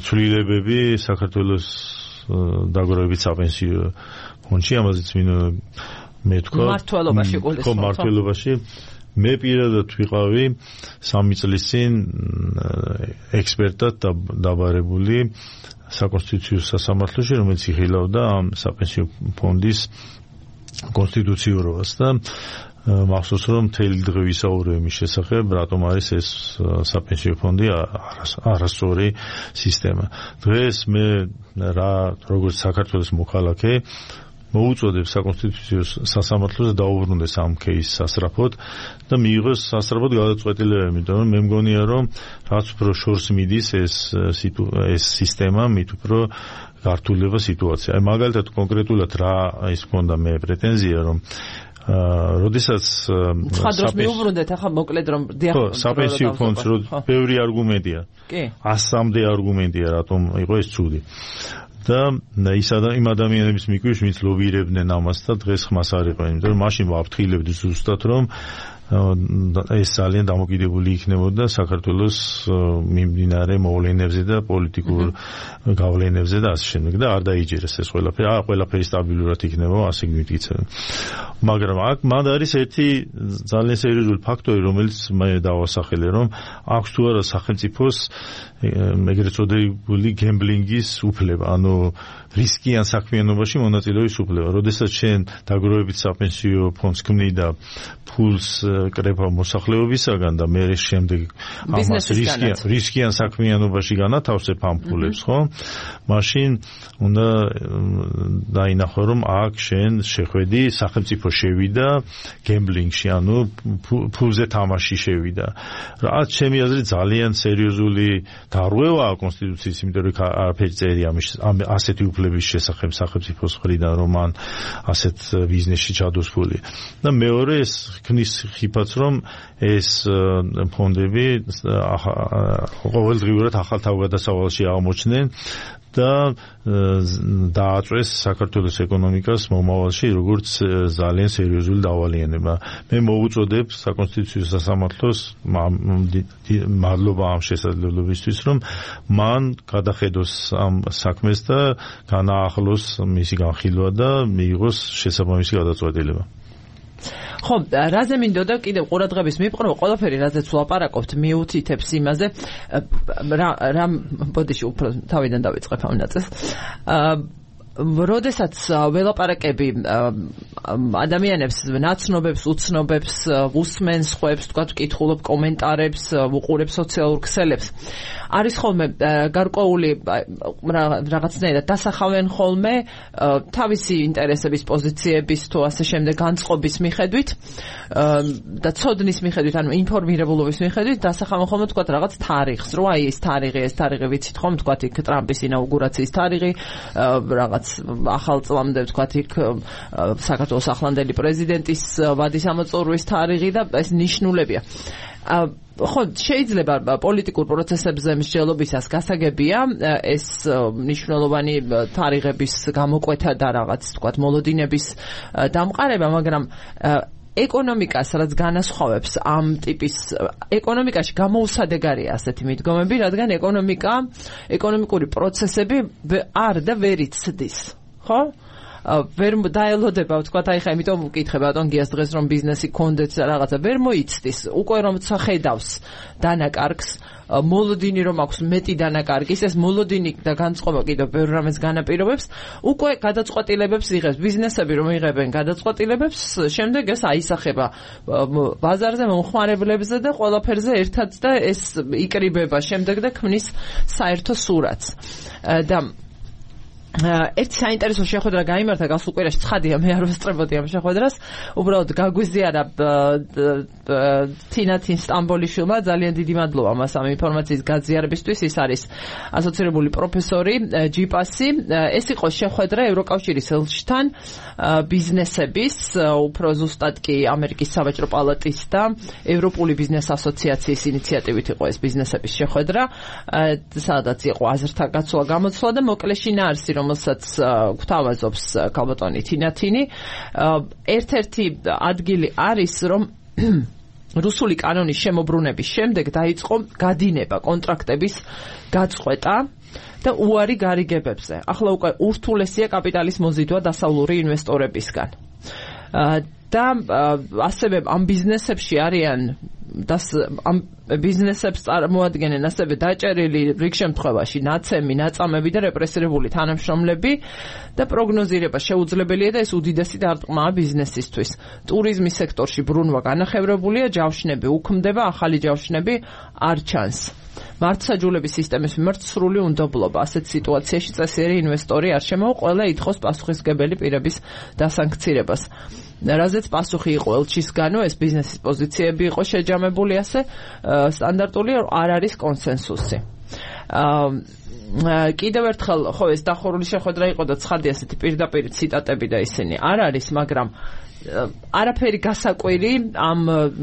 ცვლილებები საქართველოს დაგროვებით საპენსიო ფონდში ამაზეც მე თქვა მართლობაში მე პირადად ვიყავი 3 წლის წინ ექსპერტად დაბარებული საკონსტიტუციო სასამართლოში, რომელიც იხილავდა ამ საპენსიო ფონდის კონსტიტუციურობას და მახსოვს რომ მთელი დღე ვისაუბრე მის შესახებ, რატომ არის ეს საპენსიო ფონდი არასწორი სისტემა. დღეს მე როგორც საქართველოს მოქალაქე მოუწოდებ საკონსტიტუციო სასამართლოს დაუბრუნდეს ამ кейსს სასწრაფოდ და მიიღოს სასწრაფოდ გადაწყვეტილება, იმიტომ რომ მე მგონია რომ რაც უფრო შორს მიდის ეს სისტემა, მით უფრო გართულდება სიტუაცია. აი მაგალითად კონკრეტულად რა ის მქონდა მე პრეტენზია რომ როდესაც
ხადროს მიუბრუნდეთ ახლა მოკლედ რომ
საპენსიო ფონდს რო ბევრი არგუმენტია. კი. 100-მდე არგუმენტია რატომ იყო ეს ცუდი. და იმ ადამიანების მიკვირს, ვინც ლობირებდნენ ამას და დღეს ხმას არ იყო, იმიტომ რომ მაშინ ვაფრთხილებდი ზუსტად რომ ეს ძალიან დამოკიდებული იქნებოდა საქართველოს მიმდინარე მოვლენებზე და პოლიტიკურ გავლენებზე და ასე შემდეგ და არ დაიჯერეს ეს ყველაფერი სტაბილურად იქნება, ასე გმიტკიცებ. მაგრამ აქ მან არის ერთი ძალიან სერიოზული ფაქტორი, რომელიც მე დავასახელე, რომ აქვს თუ არა სახელმწიფოს ეგრეთ წოდებული გემბლინგის უფლება, ანუ რისკიან საქმიანობაში მონაწილეობის უფლება. როდესაც შენ დაგროვებით საპენსიო ფონდს ქმნი და ფულს კრება მოსახლეობისაგან და მე შემდეგ ამას რისკიან საქმიანობაში განათავსებ ამ ფულებს, ხო? მაშინ უნდა დაინახო რომ აქ შენ შეხვედი სახელმწიფო შევიდა გემბლინგში, ანუ ფულზე თამაში შევიდა. რაც ჩემი აზრით ძალიან სერიოზული დარღვევაა კონსტიტუციის, იმიტომ რომ არაფერი წერია ასეთი უფლების შესახებ სახელმწიფოს მხრიდან, რომ მან ასეთ ბიზნესში ჩადოს ფული. და მეორე ეს ქმნის ხიფაც, რომ ეს ფონდები ყოველდღიურად ახალ თავგადასავალში აღმოჩნდნენ და დააწვეს საქართველოს ეკონომიკას მომავალში როგორც ძალიან სერიოზული დავალიანება. მე მოუწოდებ საკონსტიტუციო სასამართლოს მადლობა ამ შესაძლებლობისთვის, რომ მან გადახედოს ამ საქმეს და განაახლოს მისი განხილვა და მიიღოს შესაბამისი გადაწყვეტილება.
ხო, რაზე მინდოდა კიდევ ყურადღების მიპყრობა, ყველაფერი რაზეც ვლაპარაკობთ მიუთითებს იმაზე, რა ბოდიში უფრო თავიდან დავიწყებ ამ ნაწილს. როდესაც ველაპარაკები ადამიანებს, ნაცნობებს, უცნობებს, უსმენს ხვებს, თქვა კითხულობ კომენტარებს, უყურებ სოციალურ ქსელებს, არის ხოლმე გარკვეული რაღაცნაირად დასახავენ ხოლმე თავისი ინტერესების, პოზიციების თუ ასე შემდეგ განწყობის მიხედვით და ცოდნის მიხედვით, ანუ ინფორმირებულობის მიხედვით დასახავენ ხოლმე თქვა რაღაც თარიღს, რომ აი ეს თარიღი ვიცით ხომ, თქვა იქ ტრამპის ინაუგურაციის თარიღი, რაღაც ახალ წლამდე ვთქვათ იქ საქართველოს ახლანდელი პრეზიდენტის ვადის ამოწურვის თარიღი და ეს ნიშნულებია. ხო, შეიძლება პოლიტიკურ პროცესებზე მსჯელობისას გასაგებია ეს მნიშვნელოვანი თარიღების გამოკვეთა და რაღაც ვთქვათ მოლოდინების დამყარება, მაგრამ ეკონომიკას რაც განასხვავებს ამ ტიპის ეკონომიკაში გამოუსადეგარია ასეთი მიდგომები, რადგან ეკონომიკური პროცესები არ და ვერ იცდის, ხო? ვერ დაელოდება, ვთქვათ, აი ხა იმიტომ ვკითხე ბატონ გიას დღეს რომ ბიზნესი გქონდეთ რაღაცა, ვერ მოიცდის, უკვე რომ ხედავს დანაკარგს, მოლოდინი რომ აქვს მეტი დანაკარგის, ეს მოლოდინი და განწყობა კიდევ ბევრ რამეს განაპირობებს, უკვე გადაწყვეტილებებს იღებს, ბიზნესები რომ იღებენ გადაწყვეტილებებს, შემდეგ ეს აისახება ბაზარზე, მომხმარებლებზე და ყველაფერზე ერთად და ეს იკრიბება შემდეგ და ქმნის საერთო სურათს. და ერთი საინტერესო შეხვედრა გაიმართა გასულ კვირაში, ცხადია, მე არ ვესწრებოდი ამ შეხვედრას. უბრალოდ გაგვიზიარა თინათინ სტამბოლიშვილმა, ძალიან დიდი მადლობა მას ამ ინფორმაციის გაზიარებისთვის. ის არის ასოცირებული პროფესორი ჯიპასი. ეს იყო შეხვედრა ევროკავშირის ელჩთან, ბიზნესების, უფრო ზუსტად კი ამერიკის სავაჭრო პალატის და ევროპული ბიზნეს ასოციაციის ინიციატივით იყო ეს ბიზნესების შეხვედრა, სადაც იყო აზრთა გაცვლა გამოცვლა და მოკლეში ნარსი, რომელსაც გვთავაზობს ქალბატონი თინათინი. ერთ-ერთი ადგილი არის, რომ რუსული კანონის შემოbrunების შემდეგ დაიწყო გადინება კონტრაქტების გაწყვეტა და უარი გარიგებებზე. ახლა უკვე ურთულესია კაპიტალის მოზიდვა დასავლური ინვესტორებისგან. და ასევე ამ ბიზნესებში არიან ამ ბიზნესებს წარმოადგენენ ასევე დაჭერილი რიგ შემთხვევაში ნაცემი, ნაწამები და რეპრესირებული თანამშრომლები და პროგნოზირება შეუძლებელია და ეს უდიდესი დარტყმაა ბიზნესისთვის. ტურიზმის სექტორში ბრუნვა განახევრებულია, ჯავშნები უქმდება, ახალი ჯავშნები არ ჩანს. მართლმსაჯულების სისტემის მიმართ სრული უნდობლობა. ასეთ სიტუაციაში წესიერი ინვესტორი არ შემოვა, ყველა ითხოვს პასუხისმგებელი პირების დასანქცირებას. რაზეც პასუხი იყო ელჩისგანო, ეს ბიზნესის პოზიციები იყო შეჯამებული, ასე სტანდარტული არ არის კონსენსუსი. კიდევ ერთხელ, ხო, ეს დახურული შეხვედრა იყო და ცხადია ასეთი პირდაპირ ციტატები და ისინი არ არის, მაგრამ არაფერი გასაკვირი ამ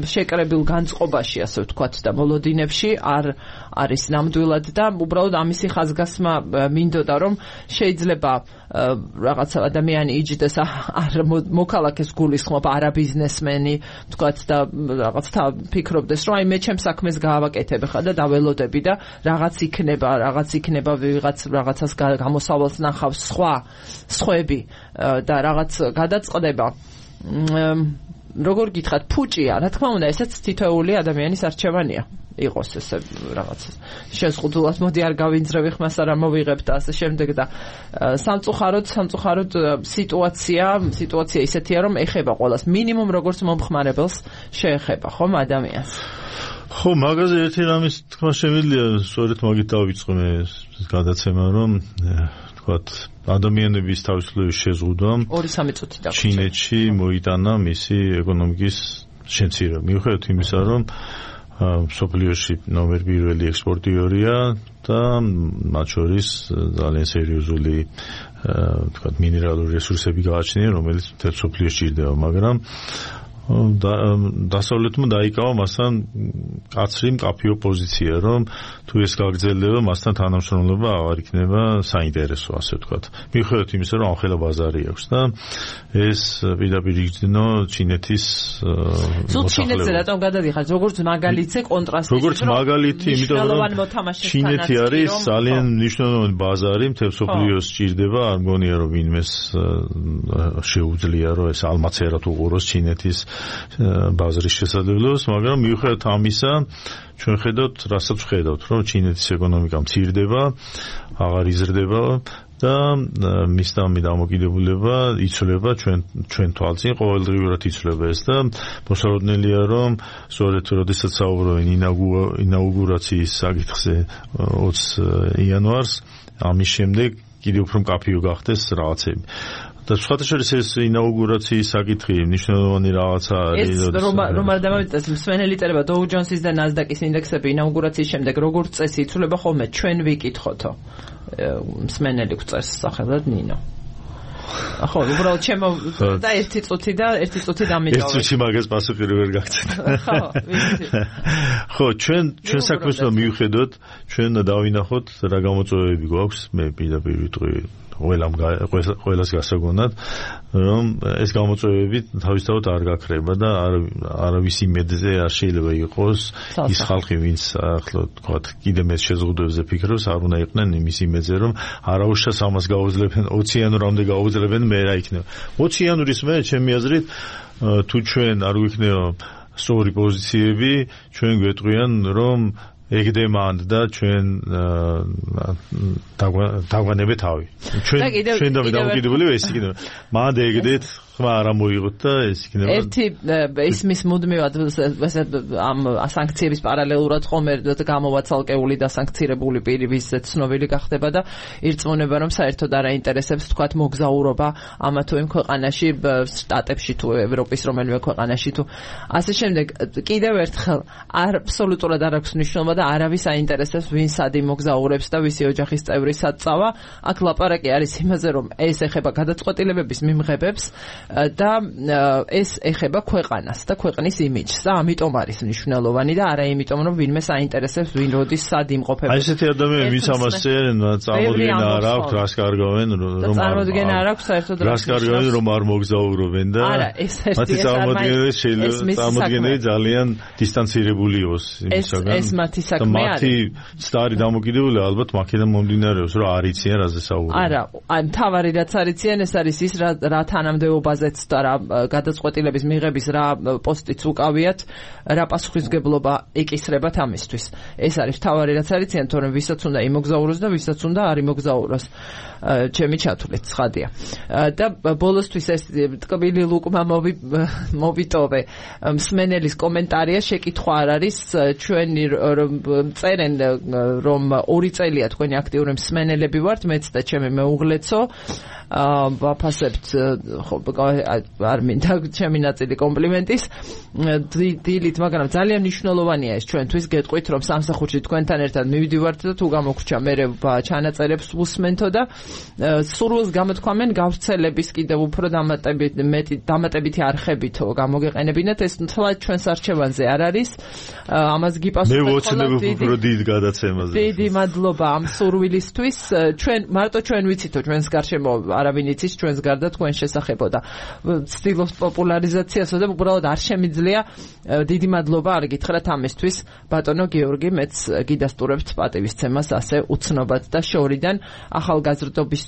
შეკრებილ განწყობაში, ასე ვთქვათ, და მოლოდინებში არ არის ნამდვილად და უბრალოდ ამისი ხაზგასმა მინდოდა, რომ შეიძლება რაღაცა ადამიანი იჯდეს არ მოქალაქეს გულისხმობ, არა ბიზნესმენი, ვთქვათ, და რაღაცა ფიქრობდეს, რომ აი მე ჩემს საქმეს გავაკეთებ ხა და დაველოდები და რაღაც იქნება რაღაცას გამოსავალს ნახავს სხვები და რაღაც გადაწყდება. როგორ გითხრათ, ფუჭია, რა თქმა უნდა, ესეც თითოეული ადამიანის არჩევანია. იყოს ესე რაღაცა შეზღუდულად მოდი არ გავინძრევი ხმას არა მოვიღებ და ასე შემდეგ და სამწუხაროდ სიტუაცია ისეთია რომ ეხება ყველას მინიმუმ როგორც მომხმარებელს შეეხება ხომ ადამიანს.
ხო, მაგაზე ერთი რამის თქვა შემიძლია, სწორედ მაგით დავიწყე მე გადაცემა, რომ ვთქვათ, ადამიანების თავისუფლების შეზღუდვამ
2-3 წუთი და
ჩინეთში მოიტანა მისი ეკონომიკის შემცირება. მიუხედავად იმისა, რომ მსოფლიოში ნომერ პირველი ექსპორტიორია და მათ შორის ძალიან სერიოზული ვთქვათ მინერალური რესურსები გააჩნია, რომელიც მთელ მსოფლიოში ჭირდება, მაგრამ დასავლეთმა დაიკავა მასთან კაცრი მკაფიო პოზიცია, რომ თუ ეს გაგრძელდება, მასთან თანამშრომლობა აღარ იქნება საინტერესო, ასე ვთქვათ. მიუხედავად იმისა, რომ ამხელა ბაზარი აქვს და ეს პირდაპირ იგრძნო ჩინეთის
ჩინეთზე რატომ გადადიხართ, როგორც მაგალითზე კონტრასტი.
როგორც მაგალითი, იმიტომ რომ ჩინეთი არის ძალიან მნიშვნელოვანი ბაზარი, მთელ მსოფლიოს ჭირდება, არ მგონია რომ ვინმეს შეუძლია რომ ეს ალმაცერად უყუროს ჩინეთის ბაზრის შესაძლებლობას, მაგრამ მიუხედავად ამისა, ჩვენ ხედავთ, რასაც ხედავთ, რომ ჩინეთის ეკონომიკა მცირდება, აღარ იზრდება და მისდამი დამოკიდებულება იცვლება ჩვენ თვალწინ, ყოველდღიურად იცვლება ეს და მოსალოდნელია, რომ სწორედ როდესაც საუბრობენ ინაუგურაციის საკითხზე 20 იანვარს, ამის შემდეგ კიდევ უფრო მკაფიო გახდეს რაღაცები. და სხვათა შორის ეს ინაუგურაციის საკითხი მნიშვნელოვანი რაღაცა არის.
ეს რომ არ დამოვიწყდეს მსმენელი წერება Dow Jones-ის და Nasdaq-ის ინდექსები ინაუგურაციის შემდეგ როგორც წესი იცვლება ხოლმე, ჩვენ ვიკითხოთო. მსმენელი გვწერს სახელად ნინო. ხო, უბრალოდ ჩემო და 1 წუთი დამიდოვე.
1 წუთი მაგას პასუხი ვერ გაგცეთ. ხო, ჩვენ საქმეს მივხედოთ, ჩვენ დავინახოთ რა გამოწვევები გვაქვს, მე პირდაპირ ვიტყვი ყველას გასაგონად, რომ ეს გამოწვევები თავისთავად არ გაქრება და არავის იმედზე არ შეიძლება იყოს ის ხალხი, ვინც ახლა თქვათ კიდე მე შეზღუდვებზე ფიქრობს, არ უნდა იყვნენ იმის იმედზე, რომ არაუშავს ამას გაუძლებენ 20 იანვრამდე გაუძლებენ, მე რა იქნება. 20 იანვრის მე ჩემი აზრით თუ ჩვენ არ გვიქნება სწორი პოზიციები, ჩვენ გვეტყვიან, რომ ეგდემანდ და ჩვენ დავანებე თავი. ჩვენ დამოკიდებული ეს იქნება. მანდ ეგდეთ ხმა არ ამოიღოთ და ეს იქნება
ერთი ისმის მუდმივად ამ სანქციების პარალელურად ხომ გამოვა ცალკეული და სანქცირებული პირი ვისაც ცნობილი გახდება და ირწმუნება რომ საერთოდ არ აინტერესებს თქვათ მოგზაურობა ამა თუ იმ ქვეყანაში შტატებში თუ ევროპის რომელიმე ქვეყანაში თუ ასე შემდეგ კიდევ ერთხელ აბსოლუტურად არ აქვს მნიშვნელობა და არავის აინტერესებს ვინ სად იმოგზაურებს და ვისი ოჯახის წევრი სად წავა აქ ლაპარაკი არის იმაზე რომ ეს ეხება გადაწყვეტილებების მიმღებებს და ეს ეხება ქვეყანას და ქვეყნის იმიჯს და ამიტომ არის მნიშვნელოვანი და არა იმიტომ რომ ვინმე საინტერესებს ვინ როდის სად იმყოფება.
აი ესეთი ადამიანები ვინც ამას წერენ წარმოდგენა არ აქვს რას კარგავენ რომ
წარმოდგენა არ აქვს საერთოდ
რას კარგავენ რომ არ მოგზაურობენ და მათი წარმოდგენები შეიძლება წარმოდგენები ძალიან დისტანცირებული იყოს იმისაგან
ეს მათი საქმე არის
მათი სტარი დამოკიდებული ალბათ მაქედან მომდინარეობს რომ არ იციან რაზე საუბრობენ
არა ან თავარი რაც არიციან ეს არის ის რა თანამდებობაზეც და რა გადაწყვეტილების მიღების რა პოსტიც უკავიათ რა პასუხისმგებლობა ეკისრებათ ამისთვის ეს არის თავარი რაც არიციან თორემ ვისაც უნდა იმოგზაუროს და ვისაც უნდა არ იმოგზაუროს ჩემი ჩათვლით ცხადია და ბოლოსთვის ეს ტკბილი ლუკმა მოვიტოვე მსმენელის კომენტარია შეკითხვა არ არის ჩვენი წერენ რომ 2 წელია თქვენი აქტიური მსმენელები ვართ მეც და ჩემი მეუღლეცო ვაფასებთ არ მინდა ჩემი ნაწილი კომპლიმენტის დილით მაგრამ ძალიან მნიშვნელოვანია ეს ჩვენთვის გეტყვით რომ სამსახურში თქვენთან ერთად მივიდივართ და თუ გამოგვჭა მე ჩანაწერებს უსმენთო და სურვილს გამოთქვამენ გავრცელების კიდევ უფრო დამატებითი არხებითო გამოგეყენებინათ ეს თლად ჩვენს არჩევანზე არ არის ამას გიპასუხებთ
მე ვოცნებ უფრო დიდ გადაცემაზე
დიდი მადლობა ამ სურვილისთვის ჩვენ მარტო ჩვენ ვიცითო ჩვენს გარშემო არავინ იცის ჩვენს გარდა თქვენ შესახებო და ცდილობთ პოპულარიზაციასო და უბრალოდ არ შემიძლია დიდი მადლობა არ გითხრათ ამისთვის ბატონო გიორგი მეც გიდასტურებთ პატივისცემას ასე უცნობად და შორიდან ახალგაზრდობის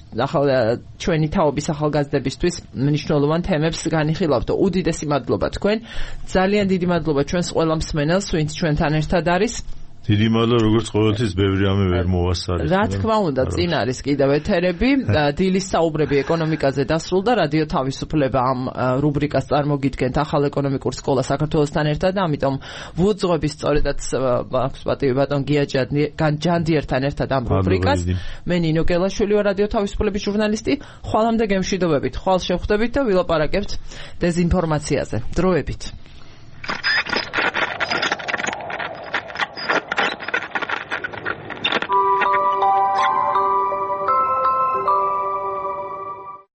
ჩვენი თაობის ახალგაზრდებისთვის მნიშვნელოვან თემებს განიხილავთ უდიდესი მადლობა თქვენ ძალიან დიდი მადლობა ჩვენს ყველა მსმენელს ვინც ჩვენთან ერთად არის
დიდი მადლობა როგორც ყოველთვის ბევრი ამე ვერ მოვასწარეთ
რა თქმა უნდა წინ არის კიდევ ეთერები დილის საუბრები ეკონომიკაზე დასრულდა რადიო თავისუფლება ამ რუბრიკას წარმოგიდგენთ ახალ ეკონომიკურ სკოლა საქართველოსთან ერთად და ამიტომ ვუძღვებით სწორედაც პატივი ბატონ გია ჯანდიერთან ერთად ამ რუბრიკას მე ნინო გელაშვილი ვარ რადიო თავისუფლების ჟურნალისტი ხვალამდე გემშვიდობებით ხვალ შევხვდებით და ვილაპარაკებთ დეზინფორმაციაზე დროებით